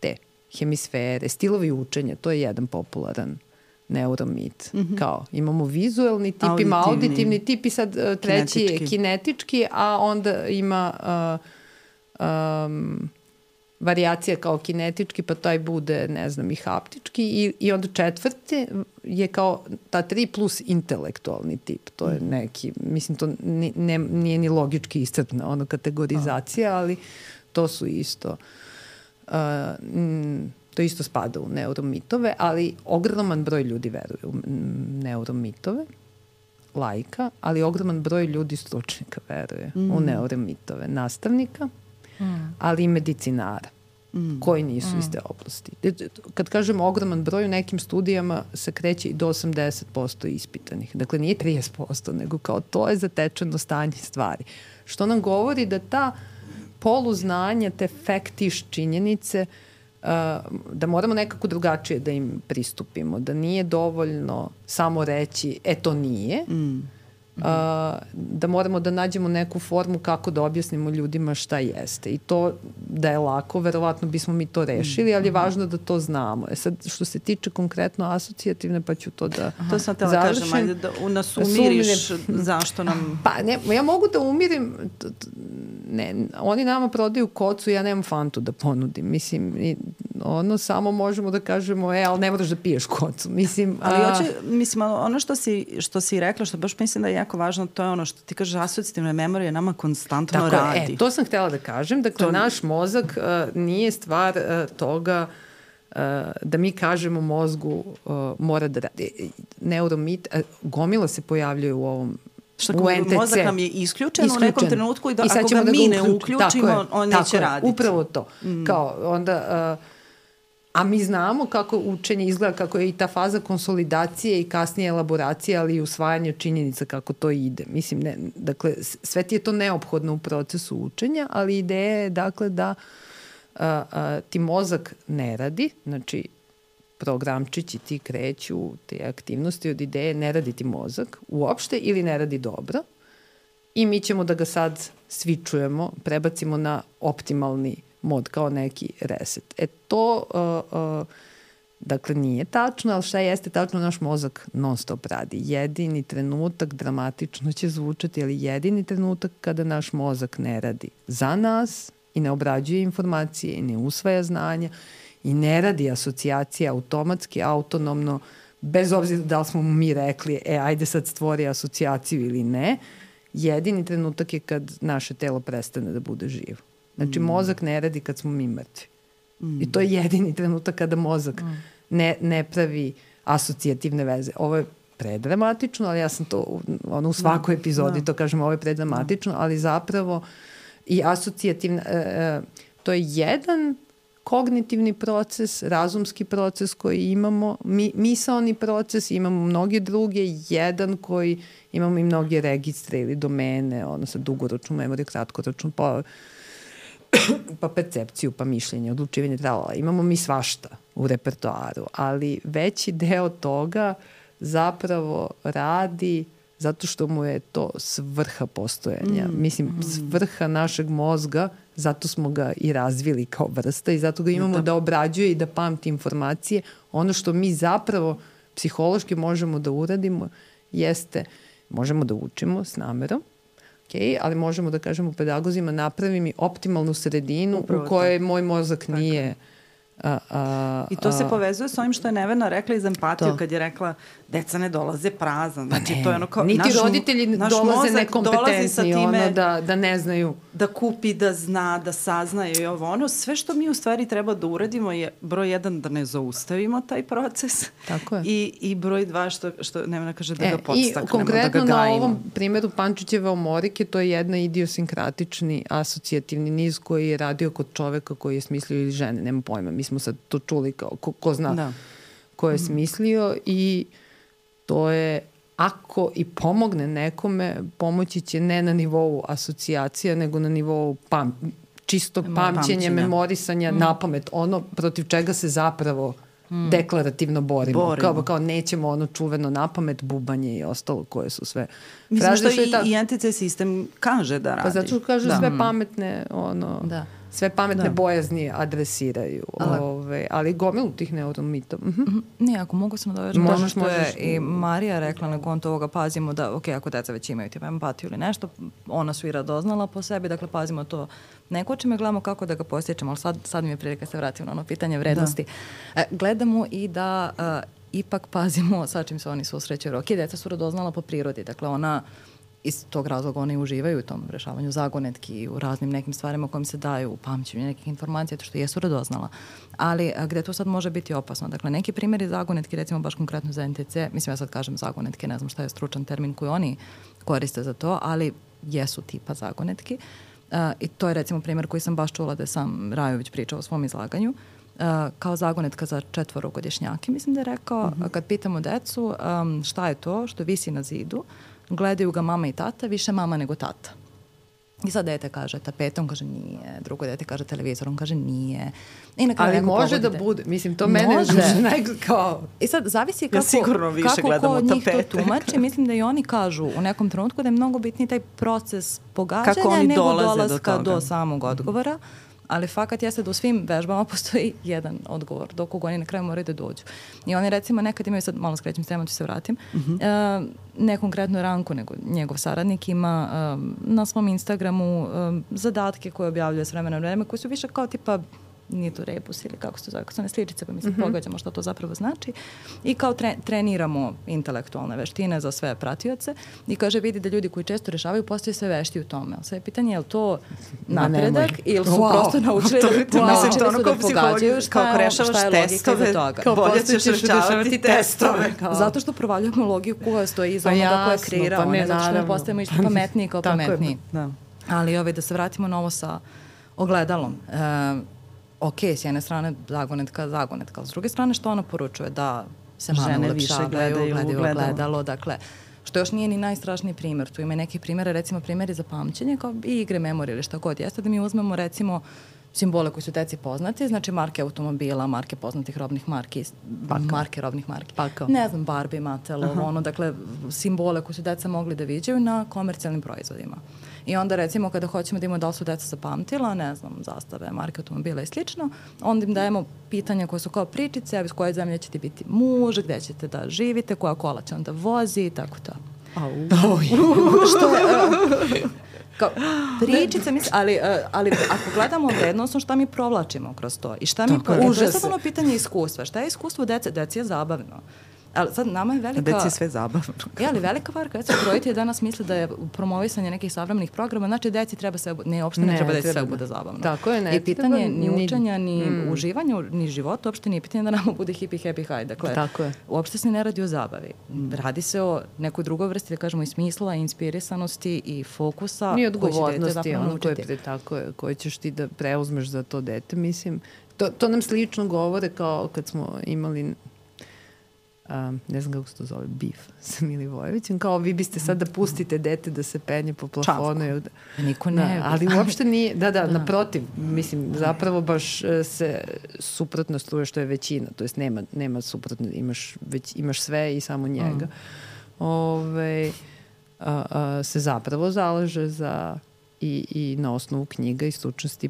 S3: te hemisfere, stilovi učenja, to je jedan popularan neuromit. Kao, imamo vizuelni tip, ima auditivni tip i sad treći je kinetički, a onda ima varijacija kao kinetički, pa taj bude, ne znam, i haptički i onda četvrti je kao ta 3 plus intelektualni tip. To je neki, mislim, to nije ni logički iscrpna ono kategorizacija, ali to su isto to isto spada u neuromitove, ali ogroman broj ljudi veruje u neuromitove, laika, ali ogroman broj ljudi stručnika veruje u neuromitove, nastavnika, ali i medicinara koji nisu iz te oblasti. Kad kažem ogroman broj, u nekim studijama se kreće i do 80% ispitanih. Dakle, nije 30%, nego kao to je zatečeno stanje stvari. Što nam govori da ta poluznanja, te fektiš činjenice, da moramo nekako drugačije da im pristupimo, da nije dovoljno samo reći to nije, da moramo da nađemo neku formu kako da objasnimo ljudima šta jeste. I to da je lako, verovatno bismo mi to rešili, ali je važno da to znamo. Sad, što se tiče konkretno asocijativne, pa ću to da
S1: to sam tela kažem, ajde da nas umiriš zašto nam...
S3: Pa ne, ja mogu da umirim, ne, oni nama prodaju kocu, ja nemam fantu da ponudim. Mislim, ono samo možemo da kažemo, ali ne moraš da piješ kocu. Mislim,
S1: ono što si rekla, što baš mislim da je jako važno, to je ono što ti kažeš, asocijativna memorija nama konstantno radi.
S3: To sam htjela da kažem. Dakle, naš mozak nije stvar toga da mi kažemo mozgu mora da radi. Neuromit, gomila se pojavljuje u ovom u NTC.
S1: Mozak nam je isključen u nekom trenutku i ako ga mi ne uključimo, on neće raditi.
S3: Upravo to. Kao onda... A mi znamo kako učenje izgleda, kako je i ta faza konsolidacije i kasnije elaboracije, ali i usvajanje činjenica kako to ide. Mislim, dakle, sve ti je to neophodno u procesu učenja, ali ideja je, dakle, da ti mozak ne radi, znači programčići ti kreću te aktivnosti od ideje, ne radi ti mozak uopšte ili ne radi dobro i mi ćemo da ga sad switchujemo, prebacimo na optimalni mod, kao neki reset. To, dakle, nije tačno, ali šta jeste tačno, naš mozak non stop radi. Jedini trenutak, dramatično će zvučati, ali jedini trenutak kada naš mozak ne radi za nas i ne obrađuje informacije i ne usvaja znanja i ne radi asocijacije automatski, autonomno, bez obzira da li smo mi rekli, ajde sad stvori asocijaciju ili ne, jedini trenutak je kad naše telo prestane da bude živo. Znači, mozak ne radi kad smo mi mrtvi. I to je jedini trenutak kada mozak ne pravi asocijativne veze. Ovo je predramatično, ali ja sam to u svakoj epizodi to kažem, ovo je predramatično, ali zapravo i asocijativna, to je jedan kognitivni proces, razumski proces koji imamo, misaoni proces, imamo mnoge druge, jedan koji imamo i mnoge registre ili domene, sad dugoročnu memoriju, kratkoročnu, pa percepciju, pa mišljenje, odlučivanje, tralala. Imamo mi svašta u repertoaru, ali veći deo toga zapravo radi zato što mu je to svrha postojanja. Mislim, svrha našeg mozga, zato smo ga i razvili kao vrsta i zato ga imamo da obrađuje i da pamti informacije. Ono što mi zapravo psihološki možemo da uradimo jeste, možemo da učimo s namerom, ali možemo da kažemo pedagozima, napravi mi optimalnu sredinu u kojoj moj mozak nije...
S1: I to se povezuje s ovim što je Nevena rekla iz empatiju, kad je rekla deca ne dolaze prazna. Znači, to je ono kao...
S3: Niti roditelji dolaze nekompetentni, da ne znaju.
S1: Da kupi, da zna, da saznaje i ovo ono. Sve što mi u stvari treba da uradimo je broj 1 da ne zaustavimo taj proces.
S3: Tako je.
S1: I broj 2 što Nevena kaže da ga podstaknemo, da ga gajimo.
S3: I konkretno na ovom primjeru Pančićeve omorike, to je jedna idiosinkratični asocijativni niz koji je radio kod čoveka koji je smislio ili žene, nema pojma. Mi smo sad to čuli kao ko zna ko je smislio i to je, ako i pomogne nekome, pomoći će ne na nivou asocijacija, nego na nivou čistog pamćenja, memorisanja na pamet, ono protiv čega se zapravo deklarativno borimo. Kao nećemo ono čuveno na pamet, bubanje i ostalo koje su sve.
S1: Mislim što i NTC sistem kaže da radi.
S3: Pa zato kaže sve pametne ono...
S2: Da.
S3: sve pametne bojazni adresiraju. Ali gomilu tih neuromitova.
S2: Nije, ako mogu se nadovežem to što je i Marija rekla na konto ovoga, pazimo da, ok, ako deca već imaju tipa empatiju ili nešto, ona su i radoznala po sebi, dakle pazimo to. Ne kočime, gledamo kako da ga postičemo, ali sad mi je prilika se vratim na ono pitanje vrednosti. Gledamo i da ipak pazimo sa čim se oni susrećaju. Ok, deca su radoznala po prirodi, dakle ona iz tog razloga oni uživaju u tom rešavanju zagonetki i u raznim nekim stvarima kojim se daju u pamćenju nekih informacija, to što jesu radoznala. Ali gde to sad može biti opasno? Dakle, neki primjeri zagonetki, recimo baš konkretno za NTC, mislim ja sad kažem zagonetke, ne znam šta je stručan termin koji oni koriste za to, ali jesu tipa zagonetki. I to je recimo primjer koji sam baš čula da je sam Rajović pričao u svom izlaganju. Kao zagonetka za 4-godišnjake, mislim da je rekao, kad pitamo decu šta je to što visi na zidu, gledaju ga mama i tata, više mama nego tata. I sad dete kaže tapetom, kaže nije, drugo dete kaže televizorom, kaže nije. I
S3: ali može da bude, mislim, to mene kao...
S2: I sad zavisi kako ko njih to tumači, mislim da i oni kažu u nekom trenutku da je mnogo bitniji taj proces pogađanja nego dolaska do samog odgovora. Ali fakat jeste da u svim vežbama postoji jedan odgovor, dok oni na kraju moraju da dođu. I oni recimo nekad imaju, sad malo skrećem s temom, ću se vratim, ne konkretno Ranko, nego njegov saradnik ima na svom Instagramu zadatke koje objavljuje s vremena na vreme, koji su više kao tipa, nije to rebus ili kako se to zove, kako su one sličice, pa mi se pogađamo što to zapravo znači. I kao treniramo intelektualne veštine za sve pratioce i kaže vidi da ljudi koji često rešavaju postaju sve vešti u tome. Sve je pitanje je li to napredak ili su prosto naučili da pogađaju šta je logika iza toga.
S1: Kao bolje ćeš rešavati testove.
S2: Zato što provaljujemo logiku koja stoji iza onoga koja je kreirao. Zato što ne postajemo išto pametniji kao pametniji. Ali da se vratimo na ovo sa ogledalom. Ok, s jedne strane zagonetka, ali s druge strane što ona poručuje? Da se mame ulepšavaju, gledaju ogledalo, dakle, što još nije ni najstrašniji primjer. Tu ima neki primjere, recimo primjeri za pamćenje, kao i igre memorije ili šta god jeste, da mi uzmemo recimo simbole koji su deci poznati, znači marke automobila, marke poznatih robnih marki, marke robnih marki. Ne znam, Barbie, Mattel, dakle, simbole koje su deca mogli da viđaju na komercijalnim proizvodima. I onda recimo kada hoćemo da imamo da li su deca zapamtila, ne znam, zastave, marke automobila i slično, onda im dajemo pitanja koje su kao pričice, iz koje zemlje ćete biti muž, gde ćete da živite, koja kola će onda vozi i tako to. Što je... Kao, pričice, ali ako gledamo vrednostno šta mi provlačimo kroz to i šta mi provlačimo, to je sad ono pitanje iskustva. Šta je iskustvo dece? Deci je zabavno. Ali sad nama je velika...
S1: Deci je sve zabavno.
S2: Ali velika varka, recimo, roditelji danas misle da je promovisanje nekih savremenih programa, znači deci treba sve... Ne, uopšte ne treba deci sve bude zabavno.
S3: Tako je, ne.
S2: I pitanje ni učenja, ni uživanja, ni života, uopšte nije pitanje da nama bude hippie, happy, high. Dakle, uopšte se ne radi o zabavi. Radi se o nekoj drugoj vrsti, da kažemo, i smisla, i inspirisanosti, i fokusa.
S3: Ni odgovornosti, ono koje ćeš ti da preuzmeš za to dete, mislim. To nam slično govore kao kad smo imali... ne znam kako se to zove, Beef sa Milivojevićem, kao vi biste sad da pustite dete da se penje po plafonu.
S2: Niko ne.
S3: Ali uopšte nije, naprotiv, mislim, zapravo baš se suprotno struje što je većina, to jest nema suprotno, imaš sve i samo njega. Se zapravo zalaže za i na osnovu knjiga i stručnosti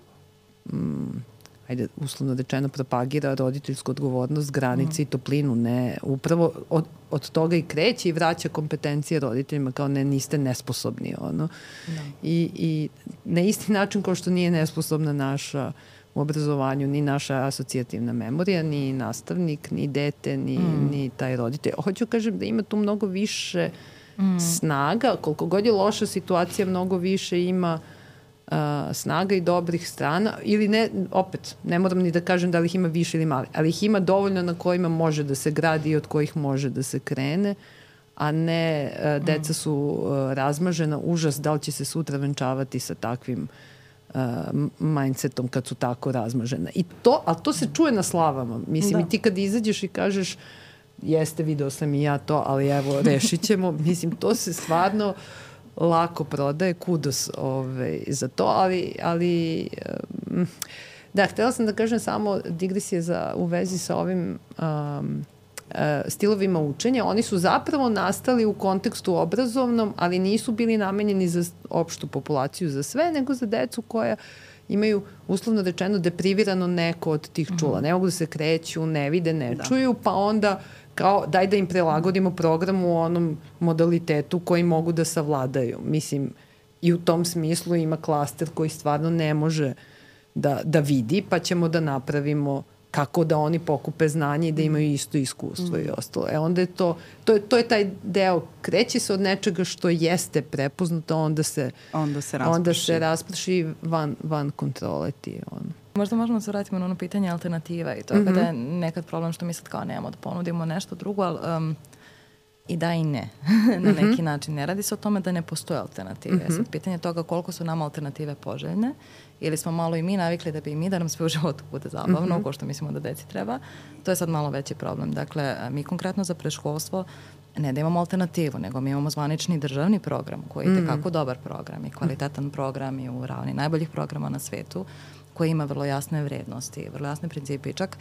S3: ajde, uslovno rečeno, propagira roditeljsku odgovornost, granice i toplinu. Ne, upravo od toga i kreće i vraća kompetencije roditeljima kao niste nesposobni. I na isti način kao što nije nesposobna naša u obrazovanju, ni naša asocijativna memorija, ni nastavnik, ni dete, ni taj roditelj. Hoću kažem da ima tu mnogo više snaga, koliko god je loša situacija, mnogo više ima snaga i dobrih strana, ili ne, opet, ne moram ni da kažem da li ih ima više ili mali, ali ih ima dovoljno na kojima može da se gradi i od kojih može da se krene, a ne deca su razmažena, užas da li će se sutra venčavati sa takvim mindsetom kad su tako razmažena. Ali to se čuje na slavama. Mislim, i ti kad izađeš i kažeš jeste, video sam i ja to, ali evo, rešit ćemo. Mislim, to se stvarno lako prodaje, kudos za to, ali da, htjela sam da kažem samo digresije u vezi sa ovim stilovima učenja. Oni su zapravo nastali u kontekstu obrazovnom, ali nisu bili namenjeni za opštu populaciju, za sve, nego za decu koja imaju uslovno rečeno deprivirano neko od tih čula. Ne mogu da se kreću, ne vide, ne čuju, pa onda kao daj da im prilagodimo program u onom modalitetu koji mogu da savladaju. Mislim, i u tom smislu ima klaster koji stvarno ne može da vidi, pa ćemo da napravimo kako da oni pokupe znanje i da imaju isto iskustvo i ostalo. Onda je to je taj deo, kreće se od nečega što jeste prepoznato, onda se rasprši van kontrole ti.
S2: Možda možemo se vratiti na ono pitanje alternativa i to kada je nekad problem što mi sad kao nemamo da ponudimo nešto drugo, ali i da i ne. Na neki način. Ne radi se o tome da ne postoje alternative. Sad pitanje toga koliko su nama alternative poželjne ili smo malo i mi navikli da nam sve u životu bude zabavno, ko što mislimo da deci treba, to je sad malo veći problem. Dakle, mi konkretno za predškolstvo ne da imamo alternativu, nego mi imamo zvanični državni program koji je tekako dobar program i kvalitetan program i u ravni najboljih programa na svetu, koji ima vrlo jasne vrednosti, vrlo jasne principe. I čak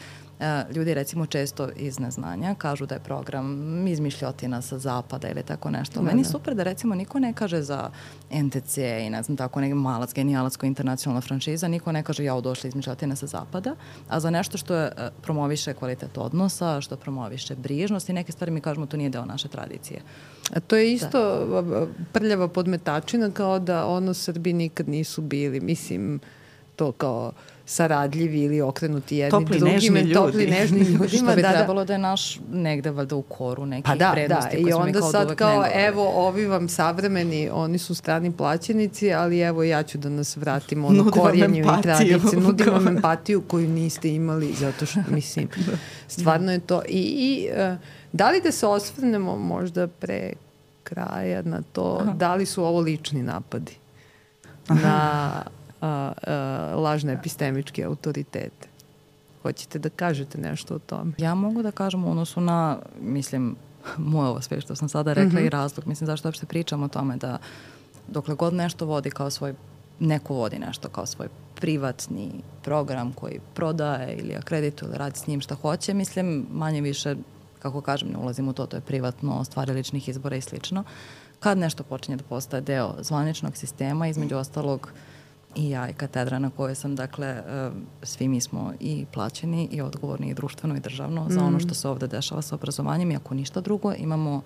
S2: ljudi recimo često iz neznanja kažu da je program izmišljotina sa zapada ili tako nešto. Meni je super da recimo niko ne kaže za NTC i ne znam tako neki malac, genijalac koji je internacionalna franšiza, niko ne kaže ja došla izmišljotina sa zapada, a za nešto što je promoviše kvalitet odnosa, što promoviše brižnost i neke stvari mi kažemo to nije deo naše tradicije.
S3: A to je isto prljava podmetačina kao da Srbi nikad nisu bili. Mislim, to kao saradljivi ili okrenuti jedni drugim, topli, nežni ljudima.
S2: Što bi trebalo da je naš negde valjda u koru nekih vrednosti koje smo mi kao uvek negovali. I onda sad kao, evo, ovi vam savremeni, oni su strani plaćenici, ali evo ja ću da nas vratimo ono korijenju i tradiciju. Nudim vam empatiju koju niste imali, zato što, mislim, stvarno je to. I da li da se osvrnemo možda pre kraja na to, da li su ovo lični napadi na lažne epistemičke autoritete? Hoćete da kažete nešto o tome? Ja mogu da kažem u odnosu na, mislim, moje ovo sve što sam sada rekla i razlog. Mislim, zašto uopšte pričam o tome da dokle god nešto vodi kao svoj, neko vodi nešto kao svoj privatni program koji prodaje ili akredituje ili radi s njim šta hoće, mislim, manje više, kako kažem, ne ulazim u to, to je privatno, stvari ličnih izbora i slično. Kad nešto počinje da postaje deo zvaničnog sistema, između ostalog i ja i katedra na kojoj sam, dakle, svi mi smo i plaćeni i odgovorni i društveno i državno za ono što se ovde dešava sa obrazovanjem i ako ništa drugo imamo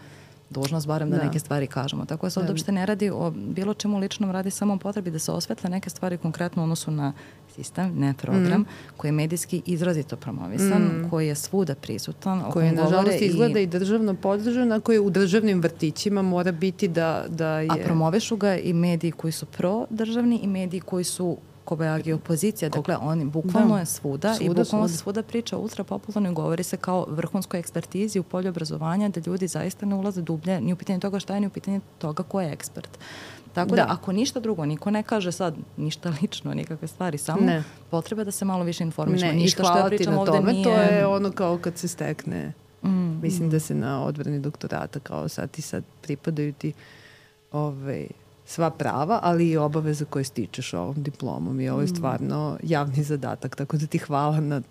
S2: dužnost barem da neke stvari kažemo. Tako da se ovde uopšte ne radi o bilo čemu ličnom, radi samo o potrebi da se osvetle neke stvari konkretno u odnosu na sistem, ne program, koji je medijski izrazito promovisan, koji je svuda prisutan.
S3: Koji je, nažalost, izgleda i državno podržan, a koji u državnim vrtićima mora biti da je...
S2: A promovišu ga i mediji koji su prodržavni i mediji koji su kobajagi opozicija. Dakle, oni bukvalno je svuda i bukvalno se svuda priča ultra popularno i govori se kao vrhunskoj ekspertizi u polju obrazovanja da ljudi zaista ne ulaze dublje ni u pitanje toga šta je, ni u pitanje toga ko je ekspert. Tako da, ako ništa drugo, niko ne kaže sad ništa lično, nikakve stvari, samo potreba da se malo više informišemo.
S3: Ništa što ja pričam ovde nije... To je ono kao kad se stekne, mislim da se na odbrani doktorata kao sad pripadaju ti sva prava, ali i obaveze koje stičeš ovom diplomom i ovo je stvarno javni zadatak, tako da ti hvala na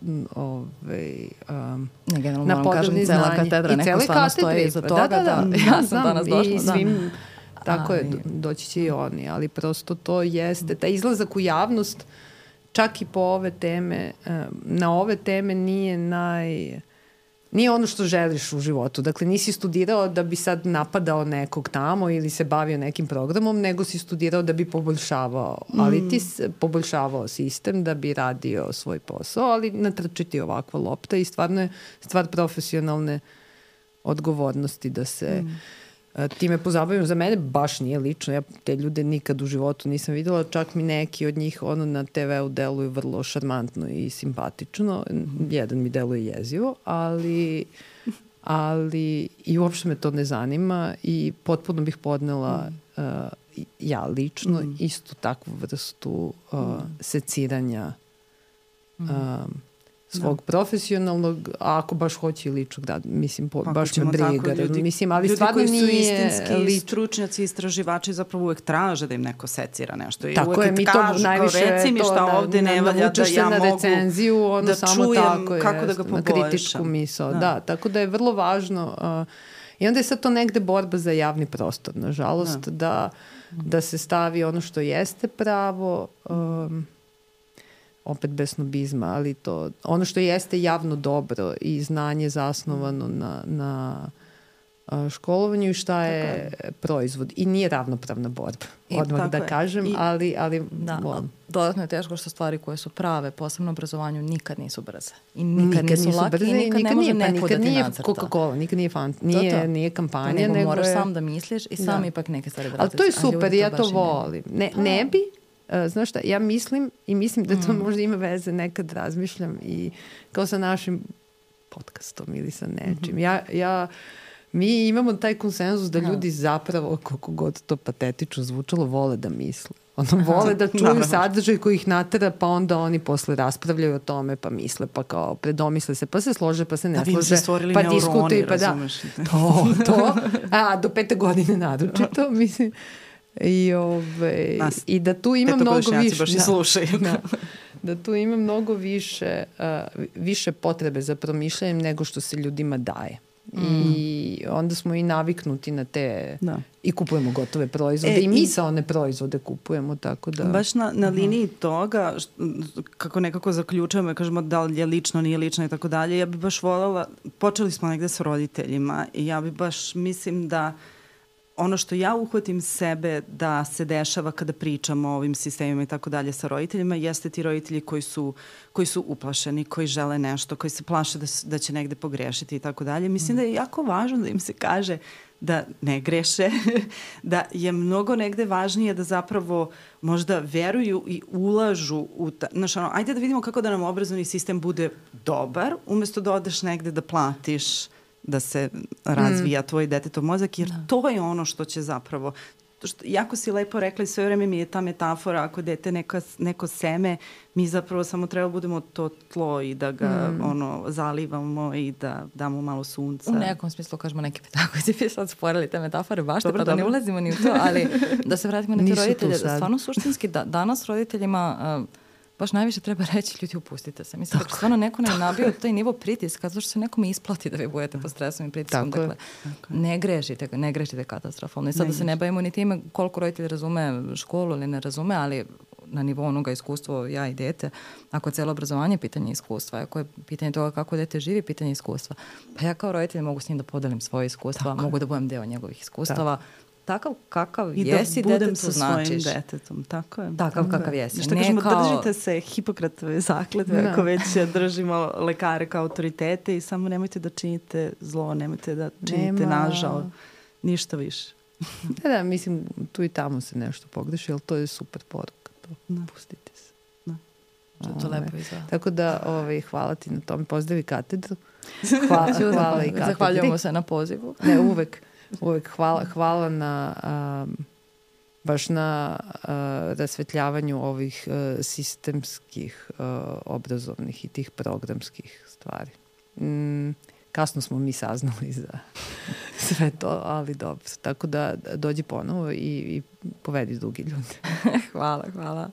S2: na podobni znanje. Katedra, i celoj katedri iza toga. Ja sam danas došla.
S3: I svim, tako je, doći će i oni, ali prosto to jeste, taj izlazak u javnost, čak i po ove teme, na ove teme nije ono što želiš u životu. Dakle, nisi studirao da bi sad napadao nekog tamo ili se bavio nekim programom, nego si studirao da bi poboljšavao. Ali ti poboljšavao sistem da bi radio svoj posao, ali natrčiti ovakva lopta i stvarno je stvar profesionalne odgovornosti da se time pozabavim. Za mene baš nije lično. Ja te ljude nikad u životu nisam videla. Čak mi neki od njih na TV-u deluju vrlo šarmantno i simpatično. Jedan mi deluje jezivo, ali i uopšte me to ne zanima i potpuno bih podnela ja lično istu takvu vrstu seciranja svog profesionalnog, a ako baš hoće i ličnog, da, mislim, baš me briga. Mislim, ali stvarno nije...
S1: Ljudi koji su istinski stručnjaci i istraživači zapravo uvek traže da im neko secira nešto. I
S3: tako je, mi to najviše
S1: reci mi šta ovde ne valja da ja mogu
S3: recenziju,
S1: da
S3: samo
S1: čujem
S3: tako,
S1: kako da ga poboljšam.
S3: Na kritičku misao. Da, tako da je vrlo važno. I onda je sad to negde borba za javni prostor, nažalost, da se stavi ono što jeste pravo opet bez snobizma, ali to, ono što jeste javno dobro i znanje zasnovano na školovanju i šta je proizvod. I nije ravnopravna borba, odmah da kažem, ali volim.
S2: Dodatno je teško što stvari koje su prave, posebno u obrazovanju, nikad nisu brze. I nikad nisu lake i nikad ne može neko da ti nacrta.
S3: Coca-Cola, nikad nije nije kampanja.
S2: Nego moraš sam da misliš i sam ipak neke stvari da radiš.
S3: Ali to je super, ja to volim. Ne bi, znaš šta, ja mislim da to možda ima veze, nekad razmišljam i kao sa našim podcastom ili sa nečim. Mi imamo taj konsenzus da ljudi zapravo, koliko god to patetično zvučalo, vole da misle. Vole da čuju sadržaj koji ih natera, pa onda oni posle raspravljaju o tome, pa misle, pa kao predomisle se, pa se slože, pa se ne slože.
S1: Da bi se stvorili
S3: pa
S1: neuroni, razumeš.
S3: To. Do 5. godine naročito, mislim. I da tu ima mnogo više.
S1: Baš i slušaju.
S3: Da tu ima mnogo više potrebe za promišljanjem nego što se ljudima daje. I onda smo i naviknuti na te i kupujemo gotove proizvode i misaone proizvode kupujemo, tako da...
S1: Baš na liniji toga, kako nekako zaključujemo, kažemo da li je lično, nije lično i tako dalje, ja bi baš voljela, počeli smo negde s roditeljima i ja bi baš, mislim da ono što ja uhvatim sebe da se dešava kada pričamo o ovim sistemima i tako dalje sa roditeljima, jeste ti roditelji koji su uplašeni, koji žele nešto, koji se plaše da će negde pogrešiti i tako dalje. Mislim da je jako važno da im se kaže da ne greše, da je mnogo negde važnije da zapravo možda veruju i ulažu u ajde da vidimo kako da nam obrazovni sistem bude dobar, umesto da odeš negde da platiš da se razvija tvoj detetov mozak, jer to je ono što će zapravo, jako si lepo rekla i sve vreme mi je ta metafora, ako dete neko seme, mi zapravo samo treba budemo to tlo i da ga zalivamo i da damo malo sunca.
S2: U nekom smislu kažemo neki pedagozi bi sad sporili te metafore baš, pa da ne ulazimo ni u to, ali da se vratimo na te roditelje. Stvarno suštinski, danas roditeljima baš najviše treba reći, ljudi, upustite se. Mislim, da stvarno neko ne nabio taj nivo pritiska, zato što se nekome isplati da vi budete pod stresom i pritiskom. Dakle, ne grešite katastrofalno. I sad da se ne bavimo ni time koliko roditelj razume školu ili ne razume, ali na nivou onoga iskustva ja i dete, ako je cijelo obrazovanje pitanje iskustva, ako je pitanje toga kako dete živi, pitanje iskustva, pa ja kao roditelj mogu s njim da podelim svoje iskustva, mogu da budem deo njegovih iskustava, takav kakav jesi detetu značiš. I da budem sa svojim detetom, tako je. Takav kakav jesi. Što kažemo, držite se Hipokratove zakletve, ako već držimo lekare kao autoritete i samo nemojte da činite zlo, nemojte da činite nažal, ništa više.
S3: Da, mislim, tu i tamo se nešto pogreši, ali to je super poruka. Pustite se.
S2: To lepo izgleda.
S3: Tako da hvala ti na tome, pozdravi katedru. Hvala i katedri.
S2: Zahvaljujemo se na pozivu.
S3: Ne, uvek hvala na baš na rasvetljavanju ovih sistemskih obrazovnih i tih programskih stvari. Kasno smo mi saznali za sve to, ali dobro. Tako da dođi ponovo i povedi drugi ljudi.
S2: Hvala.